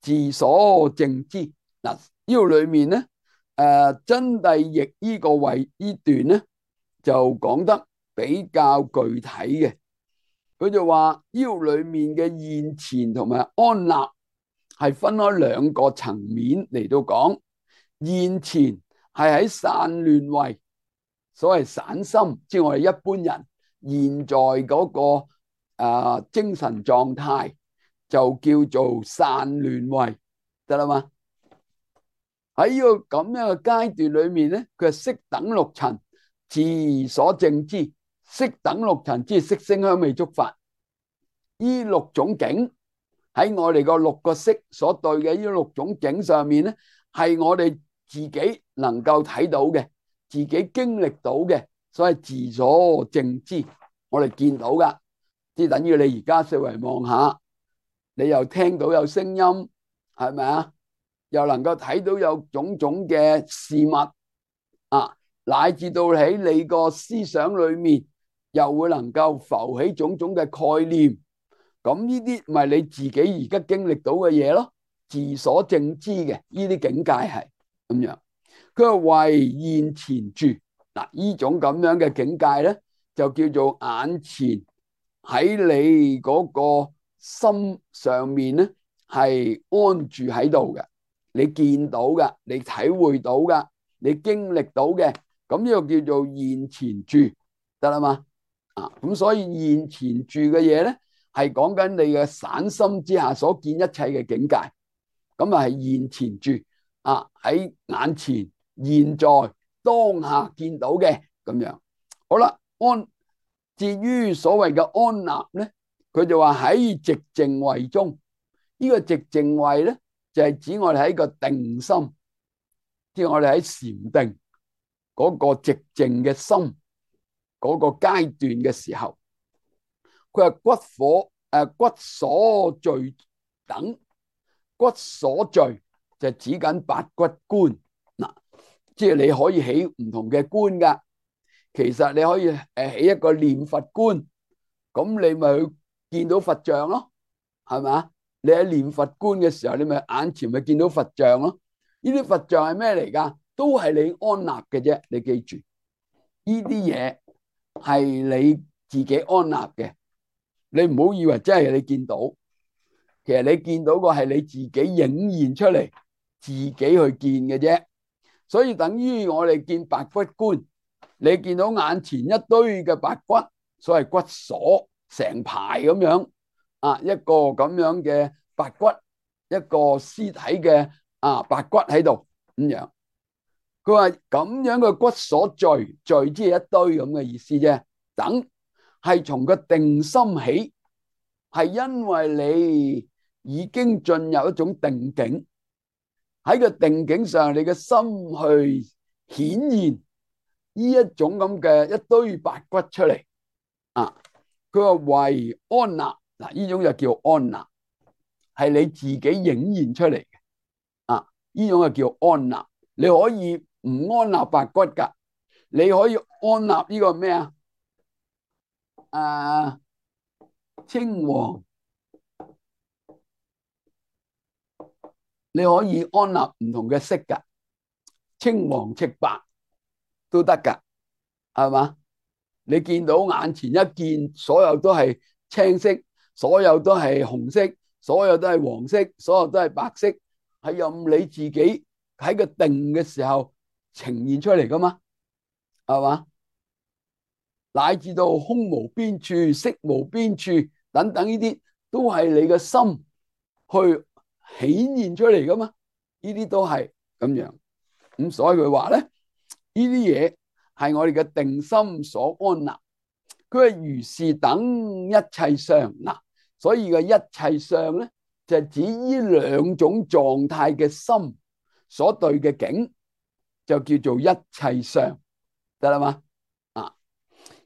[SPEAKER 1] 自所證知。嗱，呢度裏面咧。誒、呃，真諦譯呢個位呢段咧，就講得比較具體嘅。佢就話呢度裏面嘅現前同埋安立係分開兩個層面嚟到講。現前係喺散亂位，所謂散心，即係我哋一般人現在嗰、那個誒、呃、精神狀態，就叫做散亂位，得啦嘛？喺呢個咁樣嘅階段裏面咧，佢係悉等六塵自所證知。悉等六塵即係色聲香味觸法，呢六種境喺我哋個六個識所對嘅呢六種境上面咧，係我哋自己能夠睇到嘅，自己經歷到嘅，所謂自所證知，我哋見到噶，即係等於你而家四圍望下，你又聽到有聲音，係咪啊？又能夠睇到有種種嘅事物啊，乃至到喺你個思想裏面，又會能夠浮起種種嘅概念。咁呢啲咪你自己而家經歷到嘅嘢咯，自所證知嘅呢啲境界係咁樣。佢話為現前住嗱，呢種咁樣嘅境界咧，就叫做眼前喺你嗰個心上面咧係安住喺度嘅。你見到嘅，你體會到嘅，你經歷到嘅，咁呢個叫做現前住，得啦嘛？啊，咁所以現前住嘅嘢咧，係講緊你嘅散心之下所見一切嘅境界，咁啊係現前住啊，喺眼前現在當下見到嘅咁樣。好啦，安至於所謂嘅安立咧，佢就話喺寂靜位中，呢個寂靜位咧就係指我哋喺個定心，即係我哋喺禪定嗰個寂靜嘅心嗰個階段嘅時候，佢話骨火誒骨所聚等，骨所聚就指緊八骨觀嗱，即係你可以起唔同嘅觀噶。其實你可以誒起一個念佛觀，咁你咪去見到佛像咯，係咪？你喺念佛觀嘅時候，你咪眼前咪見到佛像咯。呢啲佛像係咩嚟噶？都係你安立嘅啫。你記住，呢啲嘢係你自己安立嘅，你唔好以為真係你見到，其實你見到個係你自己影現出嚟，自己去見嘅啫。所以等於我哋見白骨觀。你見到眼前一堆嘅白骨，所謂骨鎖成排咁樣啊，一個咁樣嘅白骨，一個屍體嘅啊白骨喺度咁樣。佢話咁樣嘅骨鎖聚，聚即係一堆咁嘅意思啫。等係從個定心起，係因為你已經進入一種定境，喺個定境上，你嘅心去顯現。呢一種咁嘅一堆白骨出嚟啊，佢話為安立嗱，呢種就叫安立，係你自己影現出嚟嘅啊，呢種就叫安立。你可以唔安立白骨噶，你可以安立呢個咩啊？啊，青黃，你可以安立唔同嘅色噶，青黃赤白都得噶，係嘛？你見到眼前一見，所有都係青色，所有都係紅色，所有都係黃色，所有都係白色，係任你自己喺個定嘅時候呈現出嚟噶嘛，係嘛？乃至到空無邊處、色無邊處等等呢啲，都係你嘅心去顯現出嚟噶嘛？呢啲都係咁樣，咁所以佢話咧，呢啲嘢係我哋嘅定心所安立。佢係如是等一切相嗱，所以嘅一切相咧，就係指呢兩種狀態嘅心所對嘅境，就叫做一切相，得啦嘛？啊，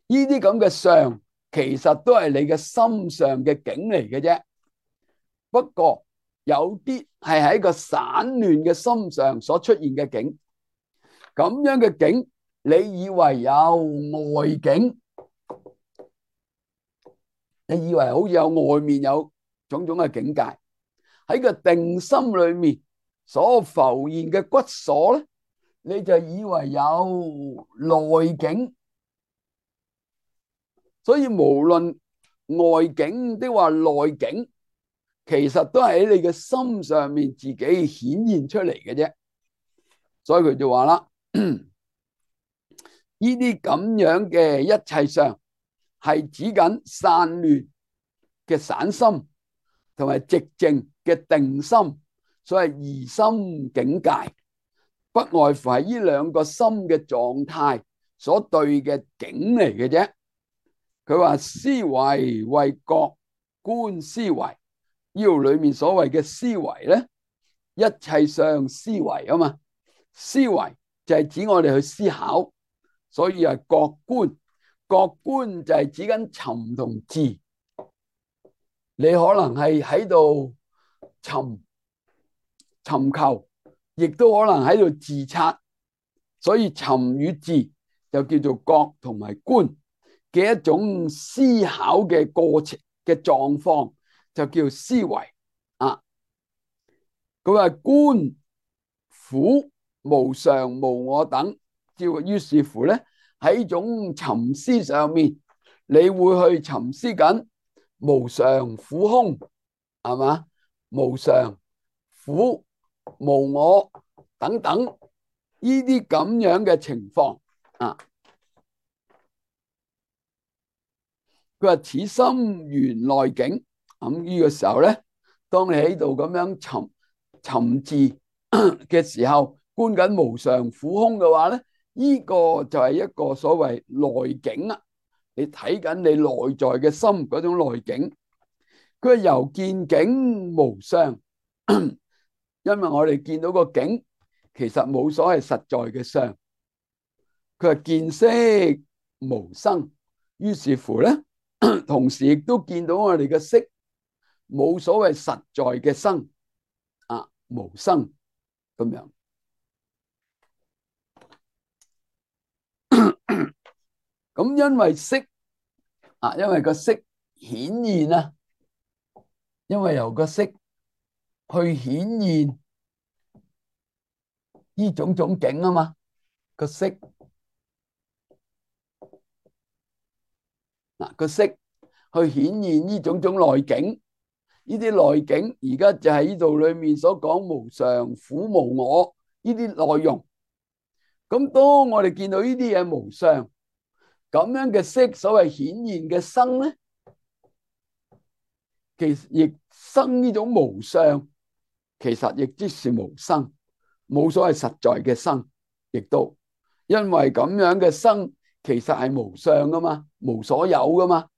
[SPEAKER 1] 呢啲咁嘅相，其實都係你嘅心上嘅境嚟嘅啫。不過有啲係喺個散亂嘅心上所出現嘅境，咁樣嘅境，你以為有外境？你以為好似有外面有種種嘅境界，喺個定心裏面所浮現嘅骨鎖咧，你就以為有內境。所以無論外境的話內境，其實都係喺你嘅心上面自己顯現出嚟嘅啫。所以佢就話啦，呢啲咁樣嘅一切相，係指緊散亂嘅散心同埋寂靜嘅定心，所謂疑心境界，不外乎係呢兩個心嘅狀態所對嘅境嚟嘅啫。佢話思維為覺觀思維，呢度裏面所謂嘅思維咧，一切相思維啊嘛，思維就係指我哋去思考，所以係覺觀。覺觀就係指緊尋同伺，你可能係喺度尋尋求，亦都可能喺度自察，所以尋與伺就叫做覺同埋觀嘅一種思考嘅過程嘅狀況，就叫思維啊。佢話觀苦無常無我等，照於是乎咧。喺種沉思上面，你會去沉思緊無常苦空，係嘛？無常苦無我等等呢啲咁樣嘅情況啊。佢話此心緣內境，咁呢個時候咧，當你喺度咁樣沉沉字嘅時候，觀緊無常苦空嘅話咧，呢個就係一個所謂內境啊。你睇緊你內在嘅心嗰種內境。佢係由見境無相，因為我哋見到個境其實冇所謂實在嘅相。佢係見色無生，於是乎咧，同時亦都見到我哋嘅色冇所謂實在嘅生啊，無生咁樣。咁因為色啊，因為個色顯現啊，因為由個色去顯現呢種種境啊嘛，個色嗱個色去顯現呢種種內境，呢啲內境而家就係呢度裏面所講無常、苦、無我呢啲內容。咁當我哋見到呢啲嘢無相咁樣嘅色，所謂顯現嘅生咧，其實亦生呢種無相，其實亦即是無生，冇所謂實在嘅生，亦都因為咁樣嘅生其實係無相噶嘛，無所有噶嘛，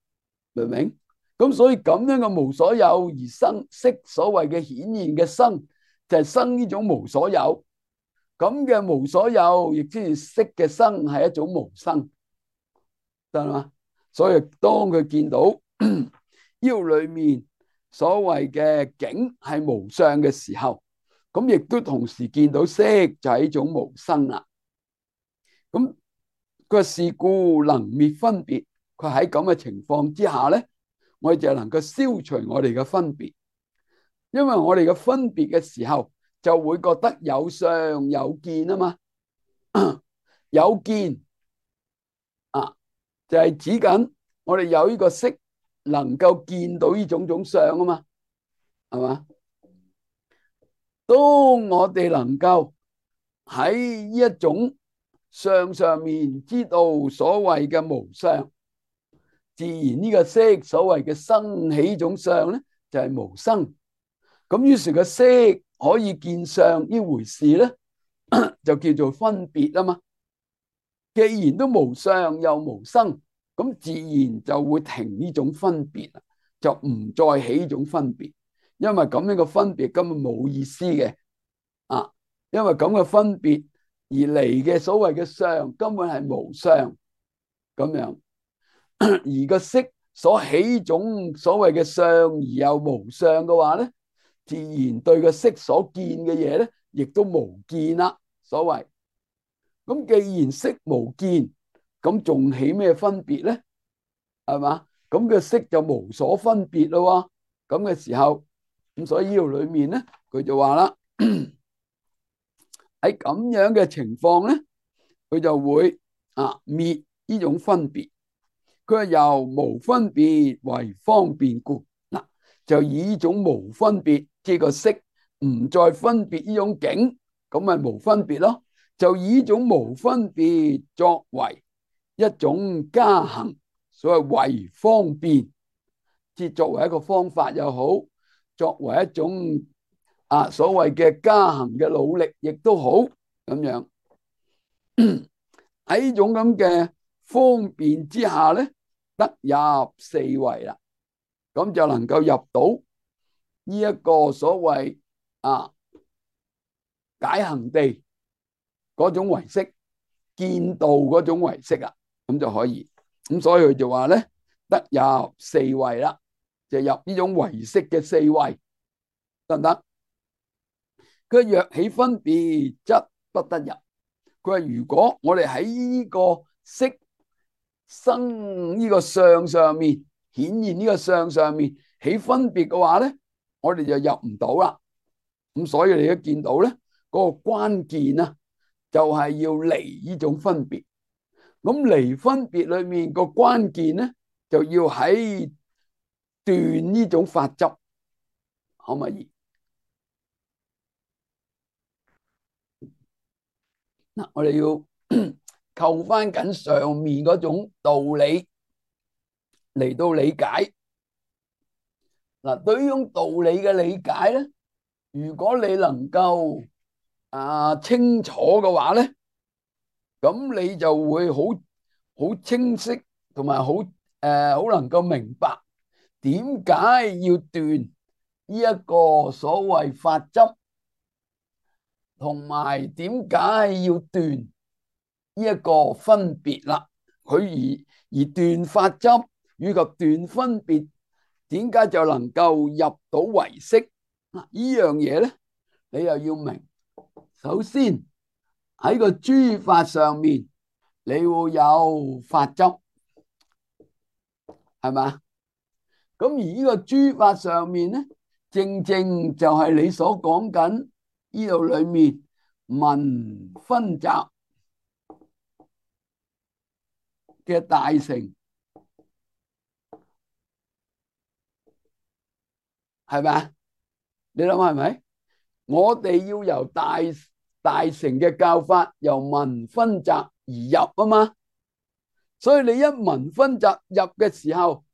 [SPEAKER 1] 明唔明？咁所以咁樣嘅無所有而生色，所謂嘅顯現嘅生就係生呢種無所有。咁嘅無所有亦即係色嘅生係一種無生，得嘛？所以當佢見到腰裏面所謂嘅境係無相嘅時候，咁亦都同時見到色就係一種無生啦。咁佢是故能滅分別，佢喺咁嘅情況之下咧，我哋就能夠消除我哋嘅分別，因為我哋嘅分別嘅時候就會覺得有相有見啊嘛。有見啊，就係指緊我哋有呢個色能夠見到呢種種相啊嘛，係嘛？當我哋能夠喺呢一種相上面知道所謂嘅無相，自然呢個色所謂嘅生起種相咧就係無生。咁於是個色可以見相呢回事咧，就叫做分別啊嘛。既然都無相又無生，咁自然就會停呢種分別，就唔再起呢種分別，因為咁樣嘅分別根本冇意思嘅啊！因為咁嘅分別而嚟嘅所謂嘅相根本係無相咁樣，而個色所起種所謂嘅相而又無相嘅話咧，自然對個色所見嘅嘢咧，亦都無見啦。所謂咁，既然色無見，咁仲起咩分別咧？係嘛？咁個色就無所分別咯。咁嘅時候，咁所以呢度裏面咧，佢就話啦，喺咁樣嘅情況咧，佢就會啊滅呢種分別。佢係由無分別為方便故，嗱就以呢種無分別，即係個色唔再分別呢種境，咁咪無分別咯。就以呢種無分別作為一種加行，所謂為方便，即作為一個方法又好，作為一種啊所謂嘅加行嘅努力亦都好，咁樣喺呢種咁嘅方便之下咧，得入四位啦，咁就能夠入到呢一個所謂啊解行地嗰種唯識，見道嗰種唯識啊，咁就可以。咁所以佢就話咧，得入四位啦，就入呢種唯識嘅四位，得唔得？佢若起分別，則不得入。佢話如果我哋喺呢個色生呢個相上面顯現呢個相上面起分別嘅話咧，我哋就入唔到啦。咁所以你都見到咧，嗰個關鍵啊，就係要離呢種分別。咁離分別裏面個關鍵咧，就要喺斷呢種法執，可唔可以？嗱，我哋要扣翻緊上面嗰種道理嚟到理解。嗱，對於呢種道理嘅理解咧，如果你能夠啊清楚嘅話咧，咁你就會好好清晰，同埋好誒好能夠明白點解要斷呢一個所謂法執，同埋點解要斷呢一個分別啦。佢而而斷法執以及斷分別，點解就能夠入到唯識？嗱，呢樣嘢咧，你又要明。首先喺個諸法上面，你會有法執，係嘛？咁而呢個諸法上面咧，正正就係你所講緊呢度裏面文分集嘅大乘，係咪？你諗下係咪？我哋要由大大乘嘅教法由文分集而入啊嘛，所以你一文分集入嘅時候，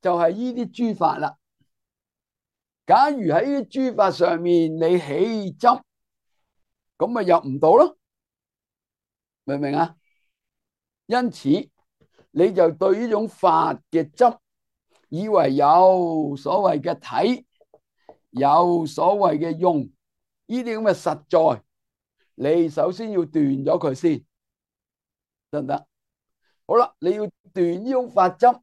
[SPEAKER 1] 就係呢啲諸法啦。假如喺呢啲諸法上面你起執，咁咪入唔到咯，明唔明啊？因此你就對呢種法嘅執，以為有所謂嘅體，有所謂嘅用，呢啲咁嘅實在，你首先要斷咗佢先，得唔得？好啦，你要斷呢種法執，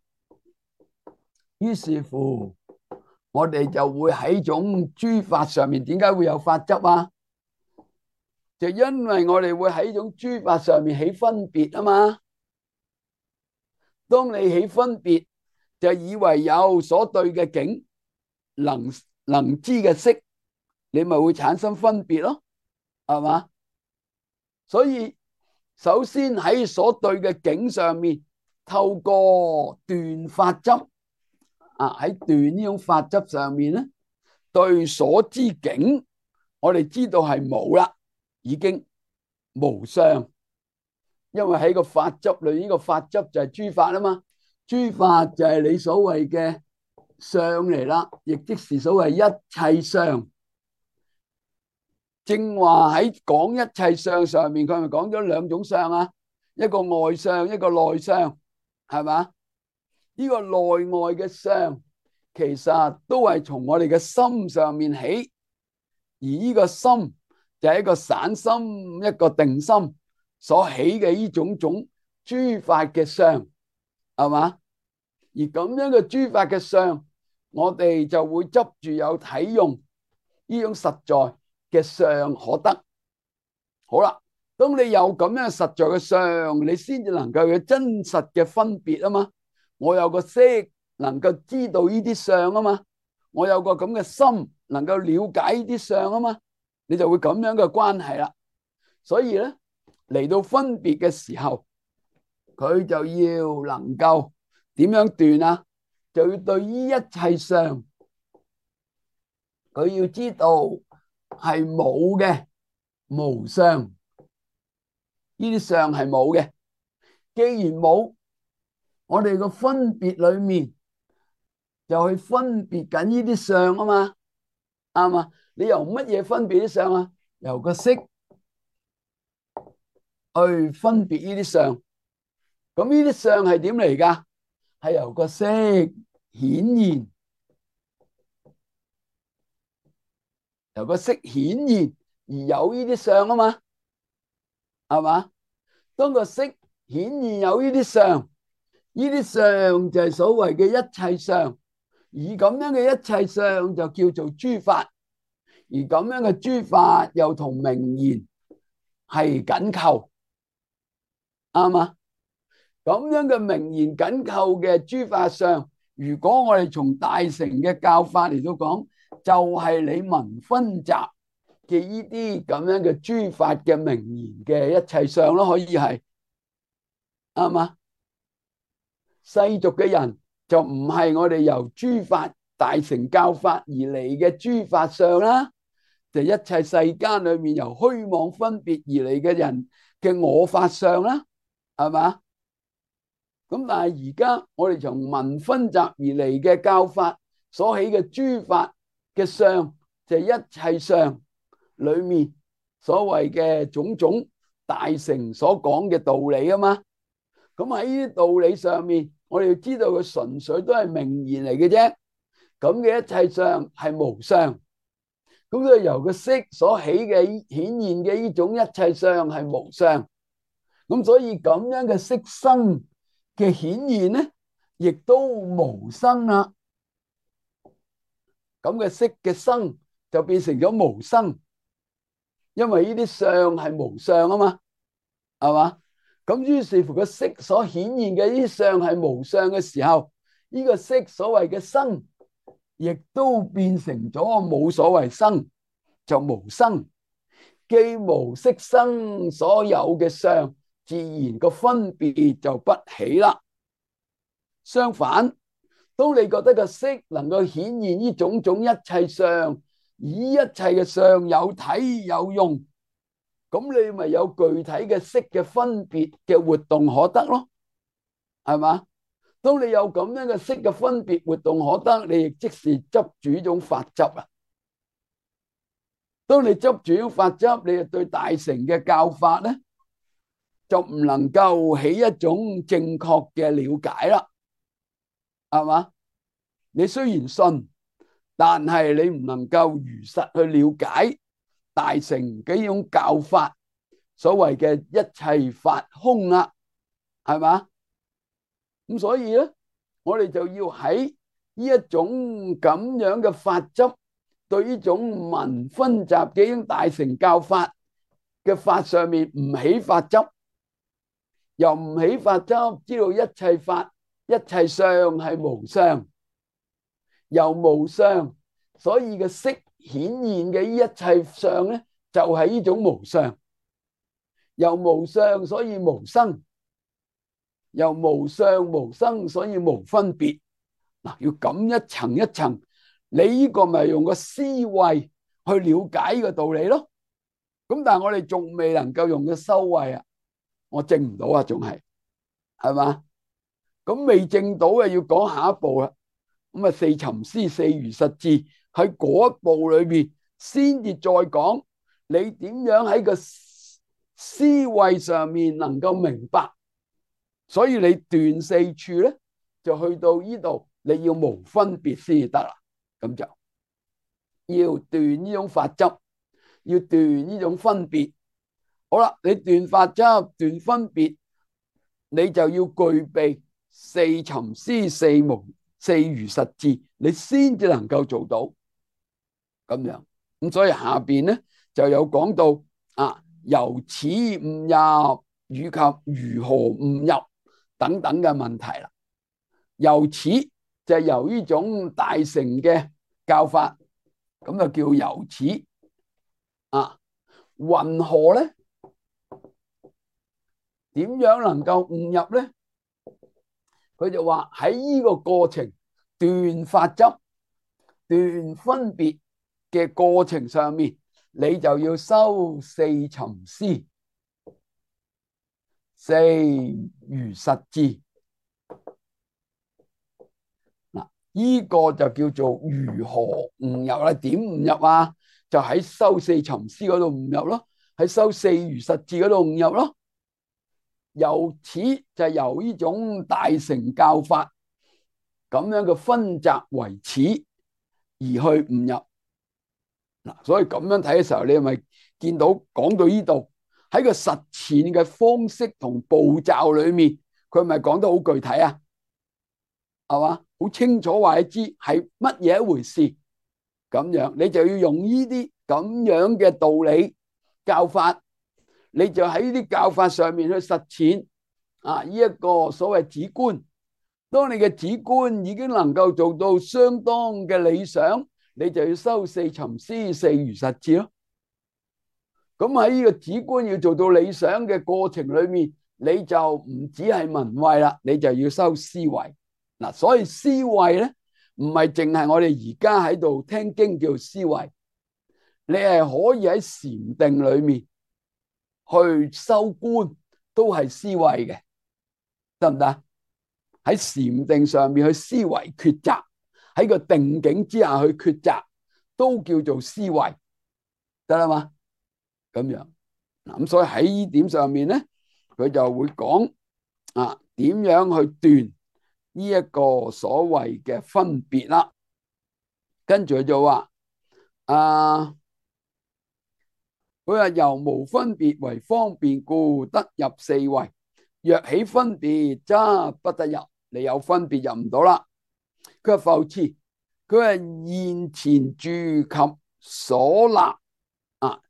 [SPEAKER 1] 於是乎我哋就會喺種諸法上面，點解會有法執啊？就因為我哋會喺種諸法上面起分別啊嘛。當你起分別，就以為有所對嘅境，能能知嘅識，你咪會產生分別咯，係嘛？所以首先喺所對嘅境上面，透過斷法執啊，喺斷呢種法執上面咧，對所知境，我哋知道係冇啦，已經無相。因為喺個法執裏，呢個法執就係諸法啊嘛，諸法就係你所謂嘅相嚟啦，亦即是所謂一切相。正話喺講一切相上面，佢咪講咗兩種相啊，一個外相，一個內相，係嘛？呢個內外嘅相，其實都係從我哋嘅心上面起，而呢個心就係一個散心，一個定心所起嘅呢種種諸法嘅相，係嘛？而咁樣嘅諸法嘅相，我哋就會執住有體用呢種實在嘅相可得。好啦，當你有咁樣實在嘅相，你先至能夠有真實嘅分別啊嘛。我有個識能夠知道呢啲相啊嘛，我有個咁嘅心能夠了解呢啲相啊嘛，你就會咁樣嘅關係啦。所以咧，嚟到分別嘅時候，佢就要能夠點樣斷啊？就要對於一切相，佢要知道係冇嘅，無相，呢啲相係冇嘅。既然冇，我哋個分別裏面就去分別緊呢啲相啊嘛，啱嘛？你由乜嘢分別啲相啊？由個色去分別呢啲相。咁呢啲相係點嚟噶？係由個色顯現，由個色顯現而有呢啲相啊嘛，係嘛？當個色顯現有呢啲相，呢啲相就係所謂嘅一切相，而咁樣嘅一切相就叫做諸法，而咁樣嘅諸法又同名言係緊扣，啱嘛？咁樣嘅名言緊扣嘅諸法相，如果我哋從大乘嘅教法嚟到講，就係你文分集嘅呢啲咁樣嘅諸法嘅名言嘅一切相咯，可以係啱嘛？世俗嘅人就唔係我哋由諸法大乘教法而嚟嘅諸法相啦，就一切世間裏面由虛妄分別而嚟嘅人嘅我法相啦，係嘛？咁但係而家我哋從文分集而嚟嘅教法所起嘅諸法嘅相，就係一切相裏面所謂嘅種種大乘所講嘅道理啊嘛。咁喺呢啲道理上面，我哋要知道佢純粹都係名言嚟嘅啫。咁嘅一切相係無相，咁所以由個色所起嘅顯現嘅呢種一切相係無相。咁所以咁樣嘅色生嘅顯現咧，亦都無生啦。咁嘅色嘅生就變成咗無生，因為呢啲相係無相啊嘛，係嘛？咁於是乎個色所顯現嘅呢啲相係無相嘅時候，呢個色所謂嘅生，亦都變成咗冇所謂生，就無生。既無色生所有嘅相，自然個分別就不起啦。相反，當你覺得個色能夠顯現呢種種一切相，以一切嘅相有體有用，咁你咪有具體嘅色嘅分別嘅活動可得咯，係嘛？當你有咁樣嘅色嘅分別活動可得，你亦即是執住呢種法執啊。當你執住呢種法執，你就對大乘嘅教法咧，就唔能夠起一種正確嘅了解啦，係嘛？你雖然信，但係你唔能夠如實去了解大乘嘅呢種教法，所謂嘅一切法空啦，係嘛？咁所以咧，我哋就要喺呢一種咁樣嘅法執，對呢種文分集嘅呢種大乘教法嘅法上面唔起法執，又唔起法執，知道一切法一切相係無相，又無相，所以嘅色顯現嘅呢一切相咧，就係呢種無相，又無相，所以無生，又無相無生，所以無分別。嗱，要咁一層一層，你呢個咪用個思維去了解呢個道理咯。咁但係我哋仲未能夠用個修慧啊，我證唔到啊，仲係係嘛？咁未證到啊，要講下一步啦。咁啊，四尋思四如實智喺嗰一步裏邊，先至再講你點樣喺個思維上面能夠明白。所以你斷四處咧，就去到呢度，你要無分別先至得啦。咁就要斷呢種法執，要斷呢種分別。好啦，你斷法執、斷分別，你就要具備四尋思四無四如實智，你先至能夠做到咁樣。咁所以下邊咧就有講到啊，由此悟入以及如何悟入等等嘅問題啦。由此就係由呢種大乘嘅教法，咁就叫由此啊。云何咧？點樣能夠悟入咧？佢就話喺呢個過程斷法執、斷分別嘅過程上面，你就要修四尋思、四如實智。嗱，呢個就叫做如何悟入啦？點悟入啊？就喺修四尋思嗰度悟入咯，喺修四如實智嗰度悟入咯。由此就由呢種大乘教法咁樣嘅分集為始而去悟入。嗱，所以咁樣睇嘅時候，你係咪見到講到呢度喺個實踐嘅方式同步驟裏面，佢係咪講得好具體啊？係嘛，好清楚話你知係乜嘢一回事。咁樣你就要用呢啲咁樣嘅道理教法，你就喺呢啲教法上面去實踐啊！呢一個所謂止觀，當你嘅止觀已經能夠做到相當嘅理想，你就要修四尋思四如實智咯。咁喺呢個止觀要做到理想嘅過程裏面，你就唔止係聞慧啦，你就要修思維。嗱，所以思維咧唔係淨係我哋而家喺度聽經叫思維，你係可以喺禪定裏面去修觀，都係思維嘅，得唔得？喺禪定上面去思維抉擇，喺個定境之下去抉擇，都叫做思維，得啦嘛？咁樣嗱，咁所以喺呢點上面咧，佢就會講啊，點樣去斷呢一個所謂嘅分別啦。跟住佢就話啊，佢話由無分別為方便故，得入四位。若起分別，則不得入。你有分別入唔到啦。佢話復次，佢話現前住及所立啊，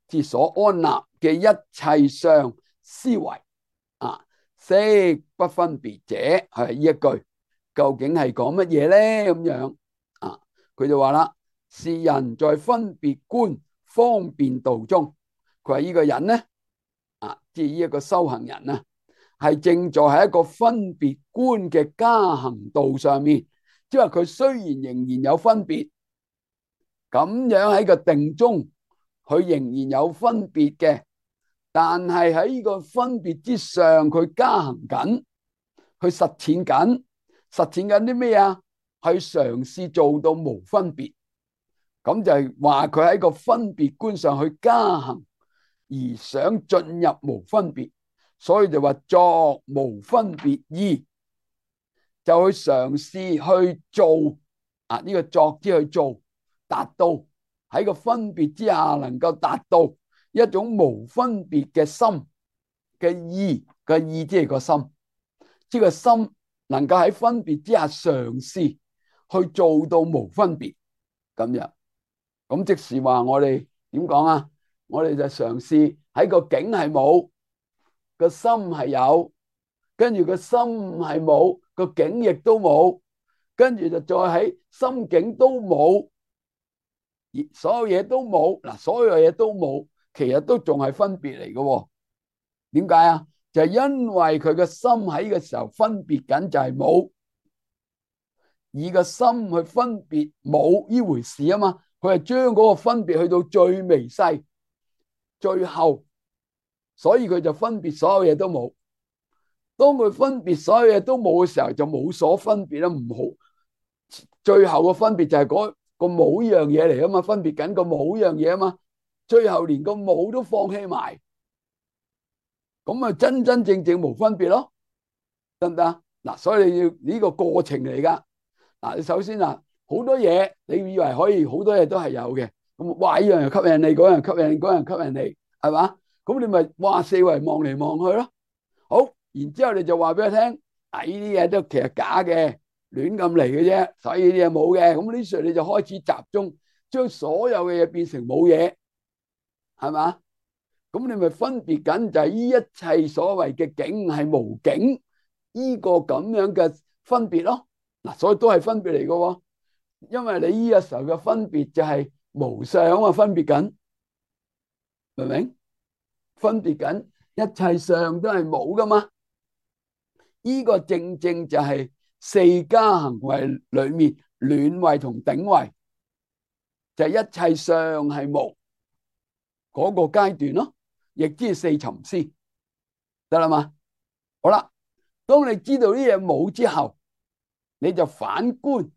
[SPEAKER 1] 即所安立嘅一切相思維啊，悉不分別者，係呢一句究竟係講乜嘢咧？咁樣啊，佢就話啦，是人在分別觀方便道中，佢話呢個人咧啊，即係呢一個修行人啊，係正在喺一個分別觀嘅加行道上面，即係話佢雖然仍然有分別，咁樣喺個定中，佢仍然有分別嘅，但係喺呢個分別之上，佢加行緊，佢實踐緊，實踐緊啲咩啊？係嘗試做到無分別，咁就係話佢喺個分別觀上去加行，而想進入無分別，所以就話作無分別意，就去嘗試去做啊！呢個作之去做，達到喺個分別之下能夠達到一種無分別嘅心嘅意嘅意，即係個心，即係個心能夠喺分別之下嘗試去做到無分別咁樣。咁即是話我哋點講啊？我哋就嘗試喺個境係冇，個心係有，跟住個心係冇，個境亦都冇，跟住就再喺心境都冇，所有嘢都冇嗱，所有嘢都冇，其實都仲係分別嚟嘅。點解啊？就係因為佢個心喺嘅時候分別緊，就係冇，以個心去分別冇呢回事啊嘛。佢係將嗰個分別去到最微細，最後，所以佢就分別所有嘢都冇。當佢分別所有嘢都冇嘅時候，就冇所分別啦。唔好，最後個分別就係嗰個冇呢樣嘢嚟啊嘛，分別緊個冇呢樣嘢啊嘛。最後連個冇都放棄埋，咁啊真真正正無分別咯，得唔得啊？嗱，所以你要呢個過程嚟噶。嗱，你首先啊，好多嘢你以為可以，好多嘢都係有嘅。咁哇，呢樣又吸引你，嗰樣吸引你，嗰樣吸引你，係嘛？咁你咪哇四圍望嚟望去咯。好，然之後你就話俾佢聽，啊呢啲嘢都其實假嘅，亂咁嚟嘅啫，所以呢啲嘢冇嘅。咁呢時候你就開始集中，將所有嘅嘢變成冇嘢，係嘛？咁你咪分別緊就係呢一切所謂嘅境係無境，呢個咁樣嘅分別咯。嗱，所以都係分別嚟嘅，因為你呢個時候嘅分別就係無相啊，分別緊，明唔明？分別緊一切相都係冇噶嘛。呢個正正就係四加行位裏面暖位同頂位，就係一切相係無嗰個階段咯，亦即係四沉思，得啦嘛。好啦，當你知道呢嘢冇之後，你就反觀，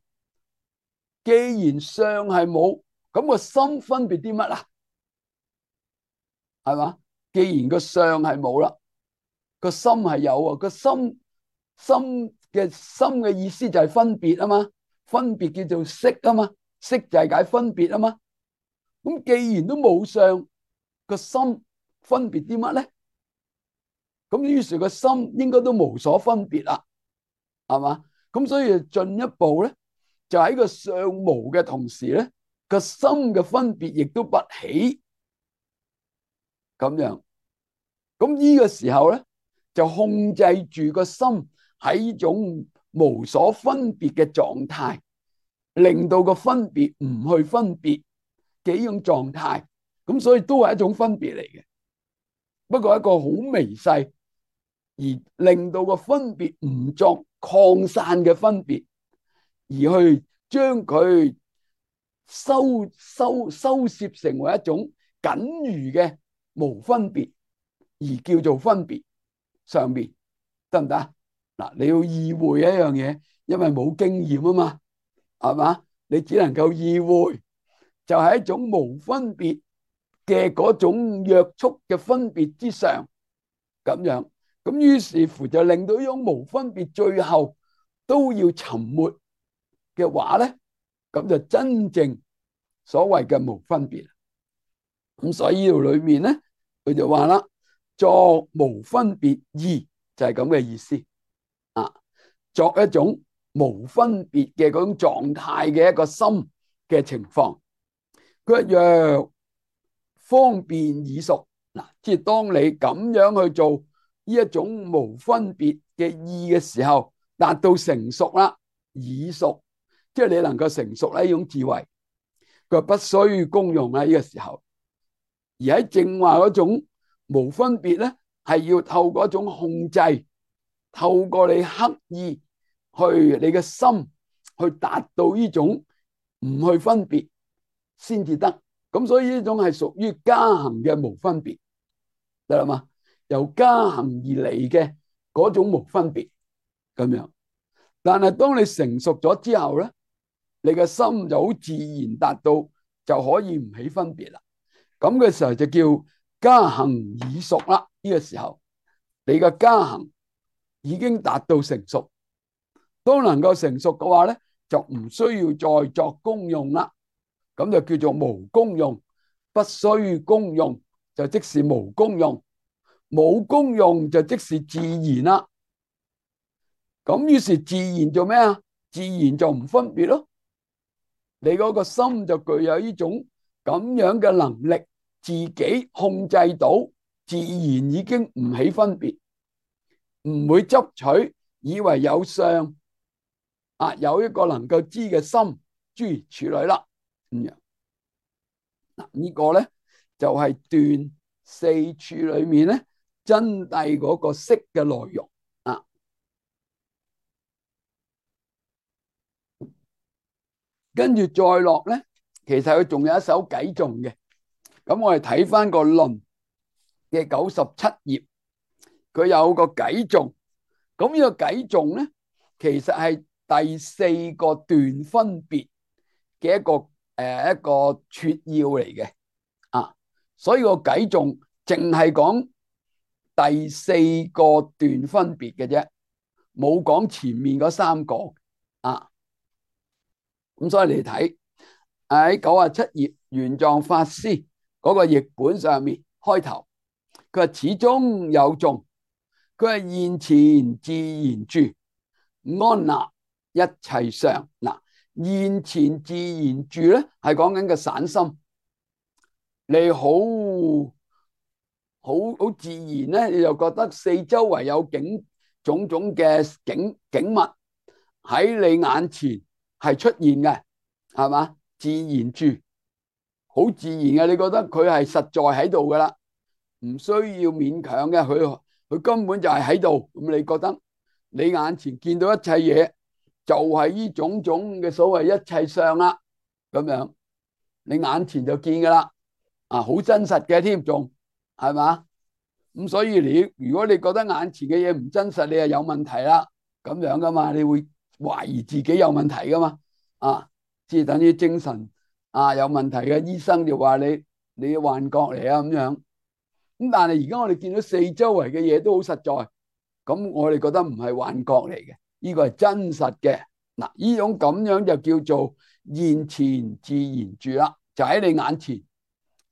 [SPEAKER 1] 既然相係冇，咁個心分別啲乜啊？係嘛？既然個相係冇啦，個心係有啊。個心心嘅心嘅意思就係分別啊嘛，分別叫做識啊嘛，識就係解分別啊嘛。咁既然都冇相，個心分別啲乜咧？咁於是個心應該都無所分別啦，係嘛？咁所以進一步咧，就喺個相無嘅同時咧，個心嘅分別亦都不起，咁樣。咁呢個時候咧，就控制住個心喺呢種無所分別嘅狀態，令到個分別唔去分別嘅呢種狀態。咁所以都係一種分別嚟嘅，不過一個好微細，而令到個分別唔作擴散嘅分別，而去將佢收收收攝成為一種僅餘嘅無分別，而叫做分別上面，得唔得啊？嗱，你要意會一樣嘢，因為冇經驗啊嘛，係嘛？你只能夠意會，就係一種無分別嘅嗰種約束嘅分別之上，咁樣，咁於是乎就令到呢種無分別最後都要沉沒嘅話咧，咁就真正所謂嘅無分別。咁所以呢度裏面咧，佢就話啦，作無分別義就係咁嘅意思啊，作一種無分別嘅嗰種狀態嘅一個心嘅情況。佢話若方便已熟，嗱，即係當你咁樣去做呢一種無分別嘅義嘅時候，達到成熟啦，已熟，即係你能夠成熟呢種智慧，佢話不需功用啦呢個時候。而喺正話嗰種無分別咧，係要透過一種控制，透過你刻意去你嘅心去達到呢種唔去分別先至得。咁所以呢種係屬於加行嘅無分別，得啦嘛？由加行而嚟嘅嗰種無分別咁樣。但係當你成熟咗之後咧，你嘅心就好自然達到就可以唔起分別啦。咁嘅時候就叫加行已熟啦。呢個時候你嘅加行已經達到成熟，都能夠成熟嘅話咧，就唔需要再作功用啦。咁就叫做無功用，不需功用就即是無功用，冇功用就即是自然啦。咁於是自然做咩啊？自然就唔分別咯。你嗰個心就具有呢種咁樣嘅能力，自己控制到，自然已經唔起分別，唔會執取，以為有相啊，有一個能夠知嘅心，諸如此類啦。咁樣嗱，呢個咧就係斷四處裏面咧真諦嗰個識嘅內容啊。跟住再落咧，其實佢仲有一首偈頌嘅。咁我哋睇翻個論嘅九十七頁，佢有個偈頌。咁呢個偈頌咧，其實係第四個斷分別嘅一個誒一個撮要嚟嘅啊。所以個偈頌淨係講第四個斷分別嘅啫，冇講前面嗰三個啊。咁所以你睇喺九十七頁玄奘法師嗰個譯本上面開頭，佢話始終有眾，佢係現前自然住，安立一切相。嗱，現前自然住咧係講緊個散心，你好好好自然咧，你就覺得四周圍有景種種嘅景景物喺你眼前係出現嘅，係嘛？自然住，好自然嘅，你覺得佢係實在喺度噶啦，唔需要勉強嘅，佢佢根本就係喺度。咁你覺得你眼前見到一切嘢，就係呢種種嘅所謂一切相啦，咁樣你眼前就見噶啦，啊，好真實嘅添，仲係嘛？咁所以你如果你覺得眼前嘅嘢唔真實，你係有問題啦，咁樣噶嘛，你會懷疑自己有問題噶嘛，啊，即係等於精神啊有問題嘅醫生就話你你幻覺嚟啊咁樣。咁但係而家我哋見到四周圍嘅嘢都好實在，咁我哋覺得唔係幻覺嚟嘅，呢個係真實嘅。嗱，呢種咁樣就叫做現前自然住啦，就喺你眼前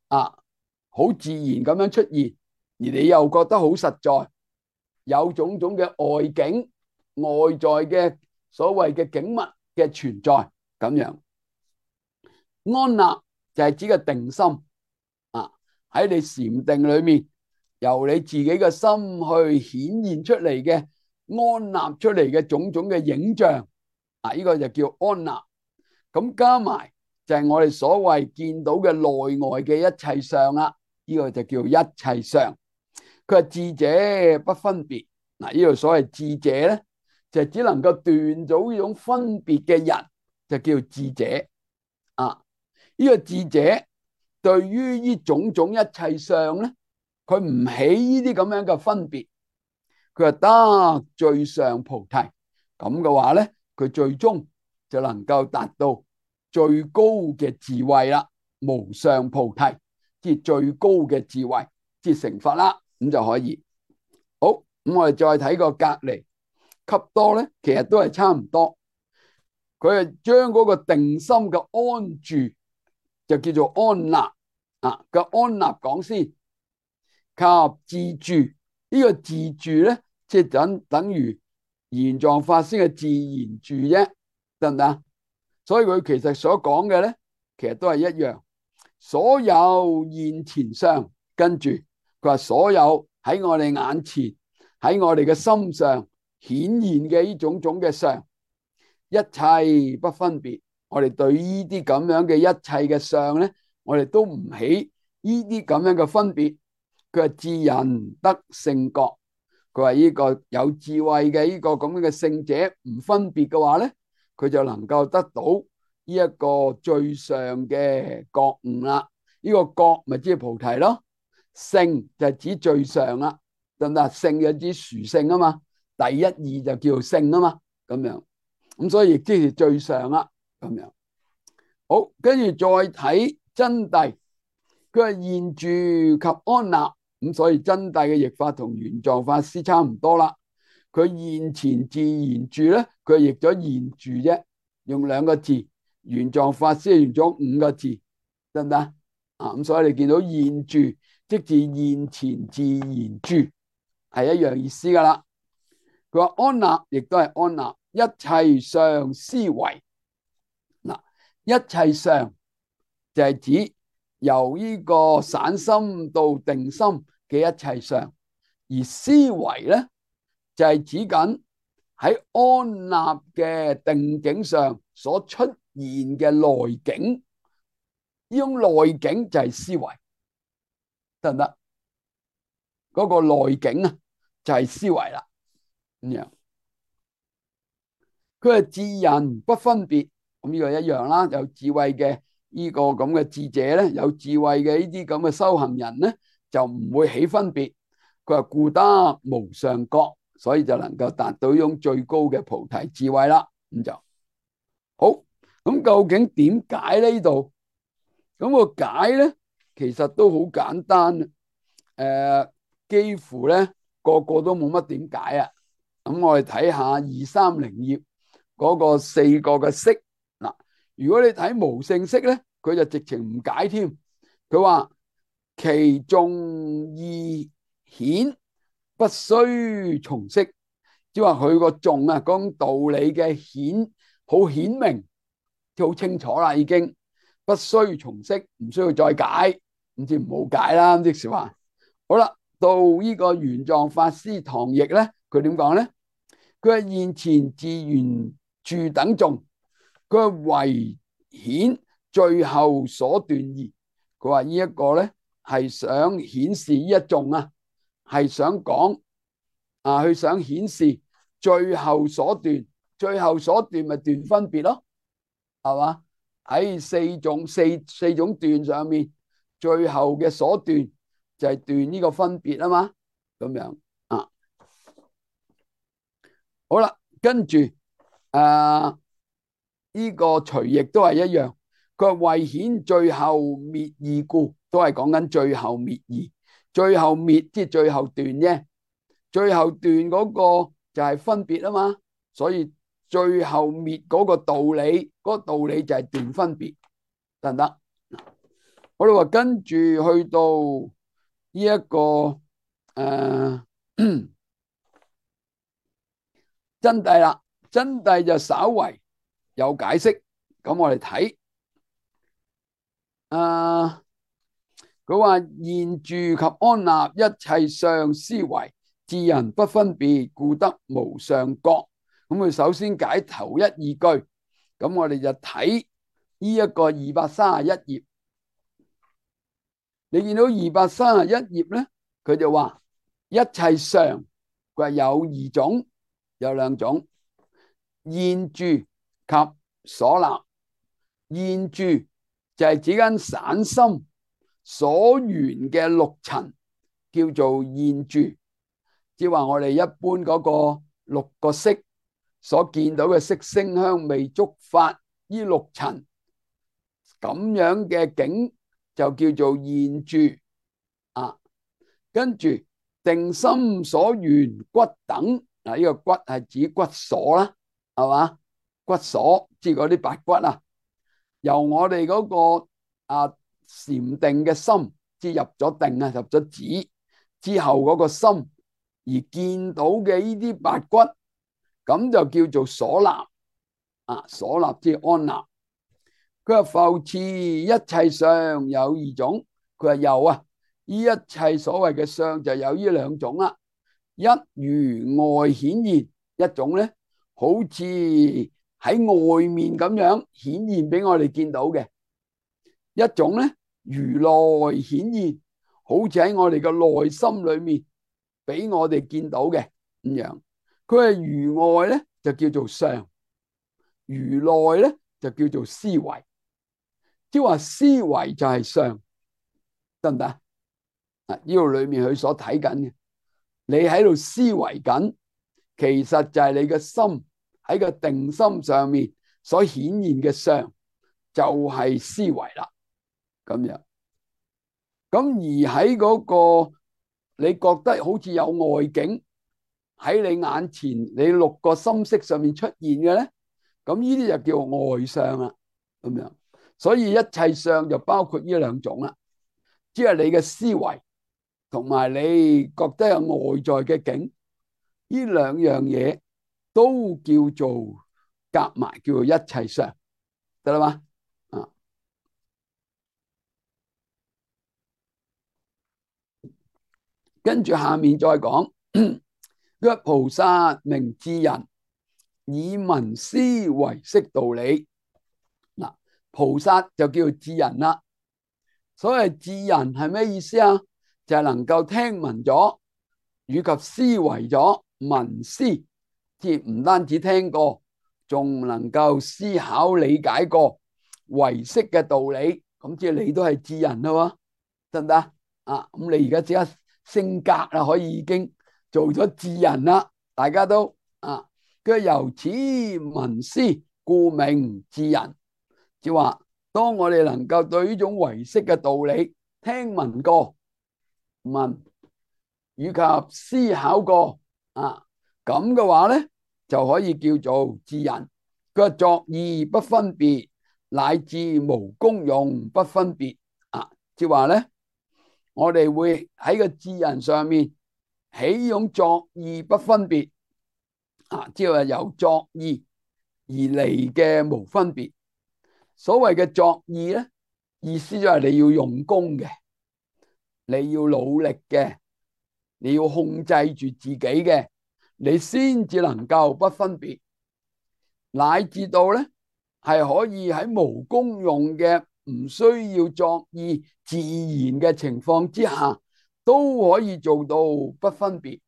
[SPEAKER 1] 啊，好自然咁樣出現，而你又覺得好實在，有種種嘅外境、外在嘅所謂嘅景物嘅存在咁樣。安立就係指個定心啊，喺你禪定裏面，由你自己嘅心去顯現出嚟嘅安立出嚟嘅種種嘅影像啊，呢個就叫安立。咁加埋就係我哋所謂見到嘅內外嘅一切相啦，呢個就叫一切相。佢係智者不分別。嗱，呢度所謂智者咧，就只能夠斷咗呢種分別嘅人，就叫智者啊。呢個智者對於呢種種一切相咧，佢唔起呢啲咁樣嘅分別，佢係得最上菩提。咁嘅話咧，佢最終就能夠達到最高嘅智慧啦，無上菩提，即係最高嘅智慧，即係成佛啦，咁就可以。好，咁我哋再睇個隔離笈多咧，其實都係差唔多。佢係將嗰個定心嘅安住就叫做安立啊，個安立講先，及自住呢、這個自住咧，即係等等於玄奘法師嘅自然住啫，得唔得？所以佢其實所講嘅咧，其實都係一樣。所有現前相，跟住佢話所有喺我哋眼前，喺我哋嘅心上顯現嘅呢種種嘅相，一切不分別。我哋對呢啲咁樣嘅一切嘅相咧，我哋都唔起呢啲咁樣嘅分別。佢話智人得聖覺，佢話呢個有智慧嘅呢個咁樣嘅聖者唔分別嘅話咧，佢就能夠得到呢一個最上嘅覺悟啦。呢、這個覺咪即係菩提咯，聖就係指最上啦，得唔得？聖就指殊勝啊嘛，第一義就叫做聖啊嘛，咁樣咁所以亦即係最上啦，咁樣。好，跟住再睇真諦，佢係現住及安立，咁所以真諦嘅譯法同玄奘法師差唔多啦。佢現前自然住咧，佢係譯咗現住啫，用兩個字。玄奘法師係用咗五個字，得唔得啊？咁所以你見到現住即是現前自然住，係一樣意思噶啦。佢話安立亦都係安立，一切相思維。嗱，一切相就係指由呢個散心到定心嘅一切相，而思維咧就係指緊喺安立嘅定境上所出現嘅內境，呢種內境就係思維，得唔得？嗰個內境啊，就係思維啦。咁樣，佢係智人不分別，咁呢個一樣啦。有智慧嘅呢個咁嘅智者咧，有智慧嘅呢啲咁嘅修行人咧，就唔會起分別。佢話故得無上覺，所以就能夠達到呢種最高嘅菩提智慧啦。咁就好。咁究竟點解呢度？咁個解咧，其實都好簡單。誒、呃，幾乎咧個個都冇乜點解啊。咁我哋睇下二三零頁嗰個四個嘅釋。嗱，如果你睇無性釋咧，佢就直情唔解添。佢話其重義顯不須重釋，即係話佢個重啊，講道理嘅顯好顯明，即係好清楚啦，已經不須重釋，唔需要再解，咁即係唔好解啦。即是話好啦，到呢個玄奘法師唐譯咧，佢點講咧？佢係現前自然住等眾，佢係唯顯最後所斷義。佢話呢一個咧係想顯示呢一眾啊，係想講啊，佢想顯示最後所斷，最後所斷咪斷分別咯，係嘛？喺四種四四種斷上面，最後嘅所斷就係斷呢個分別啊嘛，咁樣啊。好啦，跟住誒呢個隨譯都係一樣，佢話為顯最後滅義故，都係講緊最後滅義，最後滅即係最後斷啫，最後斷嗰個就係分別啊嘛，所以最後滅嗰個道理，嗰個道理就係斷分別，得唔得？我哋話跟住去到呢一個誒真諦啦，真諦就稍為有解釋，咁我哋睇，啊，佢話現住及安立一切相思維，智人不分別，故得無上覺。咁佢首先解頭一二句，咁我哋就睇呢一個二百三十一頁。你見到二百三十一頁咧，佢就話一切相，佢話有二種，有兩種，現住及所立。現住就係指緊散心所緣嘅六塵，叫做現住。即係話我哋一般嗰個六個色所見到嘅色聲香味觸法呢六塵咁樣嘅境，就叫做現住啊。跟住定心所緣骨等，嗱，呢個骨係指骨鎖啦，係嘛？骨鎖即係嗰啲白骨啊，由我哋嗰個啊禪定嘅心，即係入咗定啊，入咗止之後嗰個心而見到嘅呢啲白骨，咁就叫做所立啊。所立即係安立。佢話復次一切相有二種，佢話有啊，呢一切所謂嘅相就有呢兩種啦。一如外顯現，一種咧好似喺外面咁樣顯現俾我哋見到嘅；一種咧如內顯現，好似喺我哋嘅內心裏面俾我哋見到嘅咁樣。佢係如外咧就叫做相，如內咧就叫做思維。即係話思維就係相，得唔得啊？呢度裏面佢所睇緊嘅，你喺度思維緊，其實就係你嘅心喺個定心上面所顯現嘅相，就係思維啦。咁樣，咁而喺嗰個你覺得好似有外境喺你眼前，你六個心識上面出現嘅咧，咁呢啲就叫外相啦。咁樣。所以一切相就包括呢兩種啦，即係你嘅思維同埋你覺得有外在嘅境，呢兩樣嘢都叫做夾埋，叫做一切相，得啦嘛？啊，跟住下面再講，曰菩薩名智人，以聞思為識道理。嗱，菩薩就叫做智人啦。所謂智人係咩意思啊？就係能夠聽聞咗，以及思維咗，聞思，即係唔單止聽過，仲能夠思考理解過唯識嘅道理。咁即係你都係智人啦，得唔得啊？咁你而家即刻升格啦，可以已經做咗智人啦，大家都啊。佢由此聞思，故名智人。即係話，當我哋能夠對呢種唯識嘅道理聽聞過、聞以及思考過啊，咁嘅話咧就可以叫做智人。佢話作意不分別，乃至無功用不分別啊。即係話咧，我哋會喺個智人上面起呢種作意不分別啊，即係話由作意而嚟嘅無分別。所謂嘅作意咧，意思就係你要用功嘅，你要努力嘅，你要控制住自己嘅，你先至能夠不分別，乃至到咧係可以喺無功用嘅，唔需要作意自然嘅情況之下，都可以做到不分別，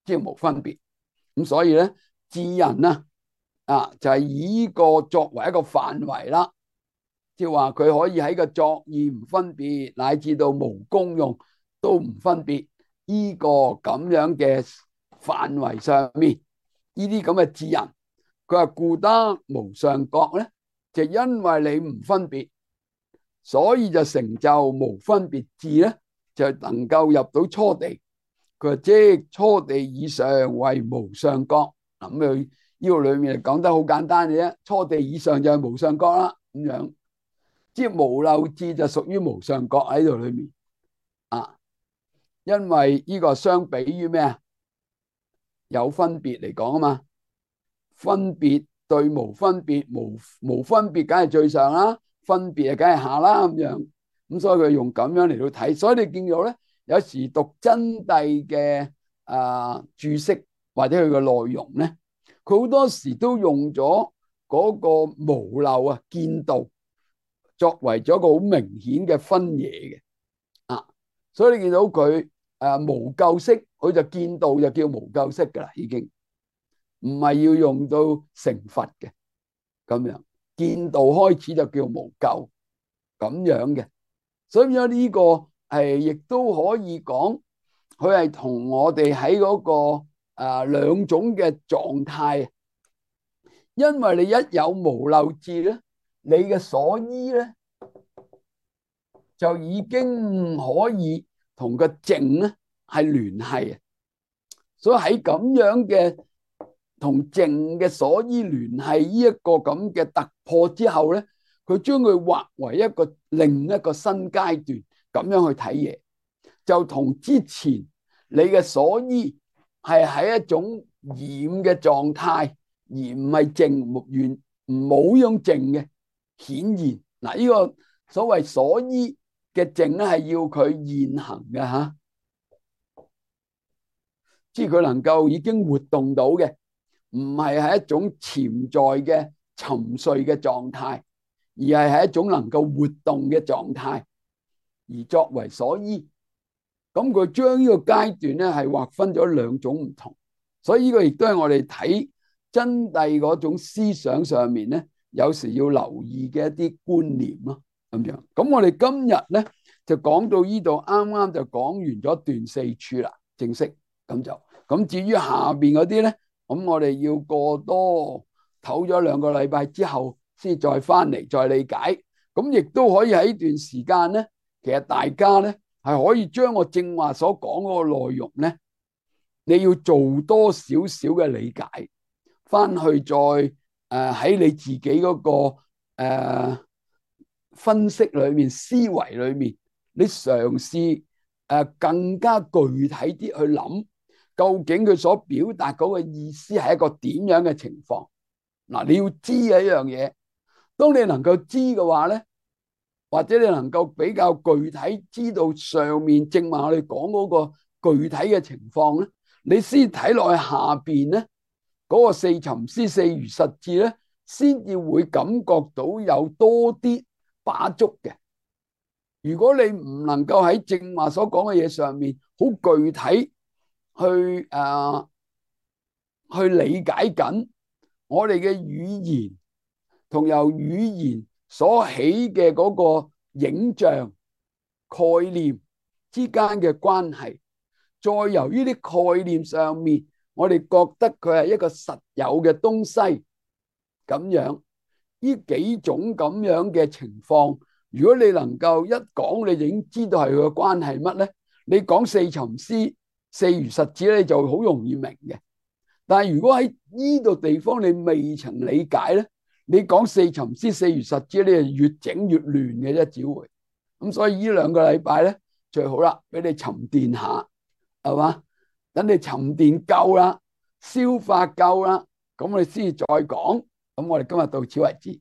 [SPEAKER 1] 即係無分別。咁所以咧，智人啊，啊就係以呢個作為一個範圍啦。即係話佢可以喺個作意唔分別，乃至到無功用都唔分別，呢個咁樣嘅範圍上面，呢啲咁嘅智人，佢話故得無上覺咧，就因為你唔分別，所以就成就無分別智咧，就能夠入到初地。佢話即初地以上為無上覺。咁佢呢個裏面講得好簡單嘅啫，初地以上就係無上覺啦，咁樣。即係無漏智就屬於無上覺喺度裏面啊，因為呢個相比於咩啊？有分別嚟講啊嘛，分別對無分別，無無分別梗係最上啦，分別啊梗係下啦咁樣。咁所以佢用咁樣嚟到睇，所以你見到咧，有時讀真諦嘅啊注釋或者佢嘅內容咧，佢好多時都用咗嗰個無漏啊見道，作為咗一個好明顯嘅分野嘅啊，所以你見到佢誒無垢識，佢就見道就叫無垢識噶啦，已經唔係要用到成佛嘅咁樣，見道開始就叫無垢咁樣嘅。所以呢個係亦都可以講，佢係同我哋喺嗰個啊兩種嘅狀態。因為你一有無漏智咧，你嘅所依咧就已經可以同個靜咧係聯繫啊。所以喺咁樣嘅同靜嘅所依聯繫呢一個咁嘅突破之後咧，佢將佢劃為一個另一個新階段，咁樣去睇嘢，就同之前你嘅所依係喺一種染嘅狀態，而唔係靜，完冇用靜嘅顯現。嗱，呢個所謂所依嘅靜咧，係要佢現行嘅吓，即係佢能夠已經活動到嘅，唔係係一種潛在嘅沉睡嘅狀態，而係係一種能夠活動嘅狀態，而作為所依。咁佢將呢個階段咧係劃分咗兩種唔同，所以呢個亦都係我哋睇真諦嗰種思想上面咧，有時要留意嘅一啲觀念咯，咁樣。咁我哋今日咧就講到呢度，啱啱就講完咗段四處啦，正式咁就。咁至於下邊嗰啲咧，咁我哋要過多唞咗兩個禮拜之後，先再翻嚟再理解。咁亦都可以喺呢段時間咧，其實大家咧係可以將我正話所講嗰個內容咧，你要做多少少嘅理解，翻去再誒喺、呃、你自己嗰、那個誒、呃、分析裏面、思維裏面，你嘗試誒、呃、更加具體啲去諗，究竟佢所表達嗰個意思係一個點樣嘅情況？嗱，你要知嘅一樣嘢，當你能夠知嘅話咧，或者你能夠比較具體知道上面正話我哋講嗰個具體嘅情況咧，你先睇落去下邊咧嗰個四尋思四如實智咧，先至會感覺到有多啲把觸嘅。如果你唔能夠喺正話所講嘅嘢上面好具體去誒、呃、去理解緊我哋嘅語言同由語言所起嘅嗰個影像概念之間嘅關係，再由呢啲概念上面，我哋覺得佢係一個實有嘅東西，咁樣呢幾種咁樣嘅情況，如果你能夠一講，你就已經知道係佢嘅關係乜咧？你講四尋思四如實智咧，你就好容易明嘅。但係如果喺呢度地方你未曾理解咧，你講四尋思四如實智，你係越整越亂嘅啫，只會咁。所以呢兩個禮拜咧最好啦，俾你沉澱下，係嘛？等你沉澱夠啦，消化夠啦，咁我哋先至再講。咁我哋今日到此為止。